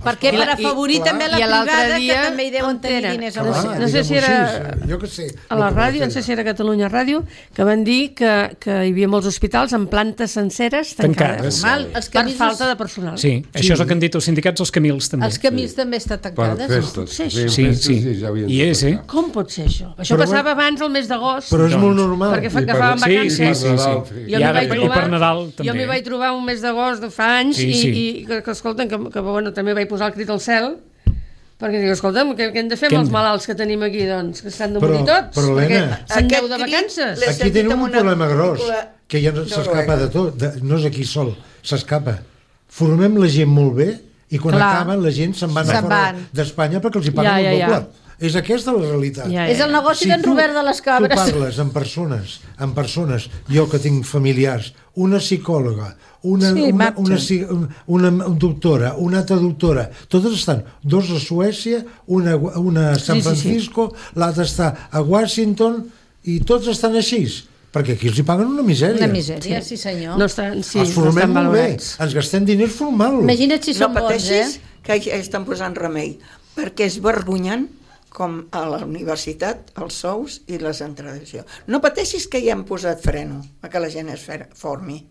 [SPEAKER 7] Perquè per afavorir
[SPEAKER 5] I-
[SPEAKER 7] també la
[SPEAKER 3] i l'altre
[SPEAKER 7] privada,
[SPEAKER 3] dia,
[SPEAKER 7] que també hi deuen
[SPEAKER 3] on
[SPEAKER 7] tenir
[SPEAKER 3] era?
[SPEAKER 7] diners a
[SPEAKER 3] No
[SPEAKER 7] la
[SPEAKER 3] sé-
[SPEAKER 4] Clar,
[SPEAKER 3] no sé si
[SPEAKER 4] diguem-ho
[SPEAKER 3] era
[SPEAKER 4] així, jo què sé,
[SPEAKER 3] a la
[SPEAKER 4] el que
[SPEAKER 3] ràdio,
[SPEAKER 4] va
[SPEAKER 3] no sé
[SPEAKER 4] retallar.
[SPEAKER 3] si era Catalunya Ràdio, que van dir que, que hi havia molts hospitals amb plantes senceres tancades.
[SPEAKER 2] Tancades.
[SPEAKER 7] Mal, els
[SPEAKER 3] Per
[SPEAKER 7] camins,
[SPEAKER 3] falta de personal.
[SPEAKER 2] Sí, això és el que han dit els sindicats, els Camils també.
[SPEAKER 7] els camins també estan
[SPEAKER 6] Per
[SPEAKER 7] tancades.
[SPEAKER 6] festes.
[SPEAKER 3] Sí,
[SPEAKER 6] Feien
[SPEAKER 2] sí,
[SPEAKER 6] festes
[SPEAKER 2] sí.
[SPEAKER 6] i ja havien
[SPEAKER 2] I
[SPEAKER 6] de
[SPEAKER 2] és, eh?
[SPEAKER 6] tancar.
[SPEAKER 3] Com pot ser això? Això
[SPEAKER 4] Però
[SPEAKER 3] passava abans al mes d'agost.
[SPEAKER 4] Però és molt
[SPEAKER 2] Doncs,
[SPEAKER 4] normal.
[SPEAKER 3] perquè fa,
[SPEAKER 6] I
[SPEAKER 3] que
[SPEAKER 6] per-
[SPEAKER 3] fàvem
[SPEAKER 2] Sí,
[SPEAKER 3] vacances.
[SPEAKER 2] sí, sí,
[SPEAKER 6] Nadal,
[SPEAKER 2] sí.
[SPEAKER 6] sí.
[SPEAKER 3] Jo
[SPEAKER 2] I,
[SPEAKER 3] m'hi
[SPEAKER 2] ara,
[SPEAKER 3] vaig
[SPEAKER 2] i
[SPEAKER 3] trobar,
[SPEAKER 2] per Nadal també.
[SPEAKER 3] Jo m'hi vaig trobar un mes d'agost de fa anys
[SPEAKER 2] Sí,
[SPEAKER 3] i,
[SPEAKER 2] sí.
[SPEAKER 3] i que, que escolten, que, que bueno, també vaig posar el crit al cel perquè dic, escolta'm, què, què hem de fer
[SPEAKER 2] Què
[SPEAKER 3] amb
[SPEAKER 2] hem
[SPEAKER 3] els
[SPEAKER 2] de-
[SPEAKER 3] malalts que tenim aquí, doncs? Que s'han de
[SPEAKER 4] Però-
[SPEAKER 3] morir tots?
[SPEAKER 4] però, Helena,
[SPEAKER 3] perquè se'n
[SPEAKER 5] Aquest
[SPEAKER 3] deu de
[SPEAKER 5] crit
[SPEAKER 3] vacances.
[SPEAKER 5] l'he
[SPEAKER 4] Aquí
[SPEAKER 5] sentit
[SPEAKER 4] tenim
[SPEAKER 5] amb
[SPEAKER 4] un
[SPEAKER 5] una
[SPEAKER 4] problema gros,
[SPEAKER 5] pel·lícula
[SPEAKER 4] que ja no s'escapa de tot, de, no és aquí sol, s'escapa. Formem la gent molt bé i quan
[SPEAKER 7] Clar.
[SPEAKER 4] acaben la gent se'n van a
[SPEAKER 7] Se'n
[SPEAKER 4] fora
[SPEAKER 7] van.
[SPEAKER 4] d'Espanya perquè els hi paguen
[SPEAKER 3] Ja, ja,
[SPEAKER 4] el
[SPEAKER 3] ja.
[SPEAKER 4] doble. És aquesta la realitat.
[SPEAKER 3] Ja,
[SPEAKER 7] És el negoci d'en
[SPEAKER 4] tu-
[SPEAKER 7] Robert de les Cabres.
[SPEAKER 4] Tu parles amb persones, amb persones, jo que tinc familiars, una psicòloga, una,
[SPEAKER 7] Sí,
[SPEAKER 4] una,
[SPEAKER 7] marxen.
[SPEAKER 4] una, psi- una, una doctora, una altra doctora, totes estan, dos a Suècia, una, una a San
[SPEAKER 3] Sí, sí, sí.
[SPEAKER 4] Francisco, l'altra està a Washington, i tots estan així, perquè aquí els hi paguen una misèria.
[SPEAKER 7] Una misèria, sí, senyor.
[SPEAKER 3] No estan, sí,
[SPEAKER 4] els
[SPEAKER 3] no
[SPEAKER 4] formem
[SPEAKER 3] estan
[SPEAKER 4] molt bé,
[SPEAKER 3] valorats.
[SPEAKER 4] ens gastem diners formant-los.
[SPEAKER 7] Imagina't si
[SPEAKER 5] No
[SPEAKER 7] són bons,
[SPEAKER 5] pateixis,
[SPEAKER 7] eh?
[SPEAKER 5] que hi estan posant remei, perquè és vergonyant com a la universitat, els sous i les entrades. No pateixis que hi hem posat freno a que la gent es fer- formi.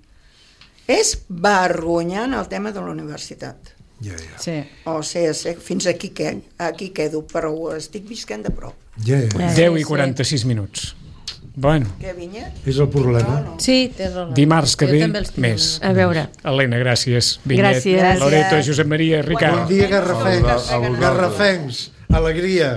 [SPEAKER 5] És vergonyant el tema de la universitat.
[SPEAKER 4] Ja, ja.
[SPEAKER 7] Sí.
[SPEAKER 5] O sigui, fins aquí, que, aquí quedo, però ho estic visquent de prop.
[SPEAKER 4] Ja, ja.
[SPEAKER 2] deu i quaranta-sis minuts. Bueno,
[SPEAKER 5] Què, Vinyet?
[SPEAKER 4] És el problema.
[SPEAKER 5] No, no.
[SPEAKER 7] Sí, té raó.
[SPEAKER 2] dimarts que
[SPEAKER 7] Jo
[SPEAKER 2] ve,
[SPEAKER 7] també els tinc
[SPEAKER 2] més.
[SPEAKER 3] A veure.
[SPEAKER 2] Helena, gràcies. Vinyet,
[SPEAKER 3] Gràcies.
[SPEAKER 2] Loreto, Josep Maria, Ricard.
[SPEAKER 4] Bon dia, garrafencs.
[SPEAKER 6] A vosaltres.
[SPEAKER 4] Garrafencs. Alegria.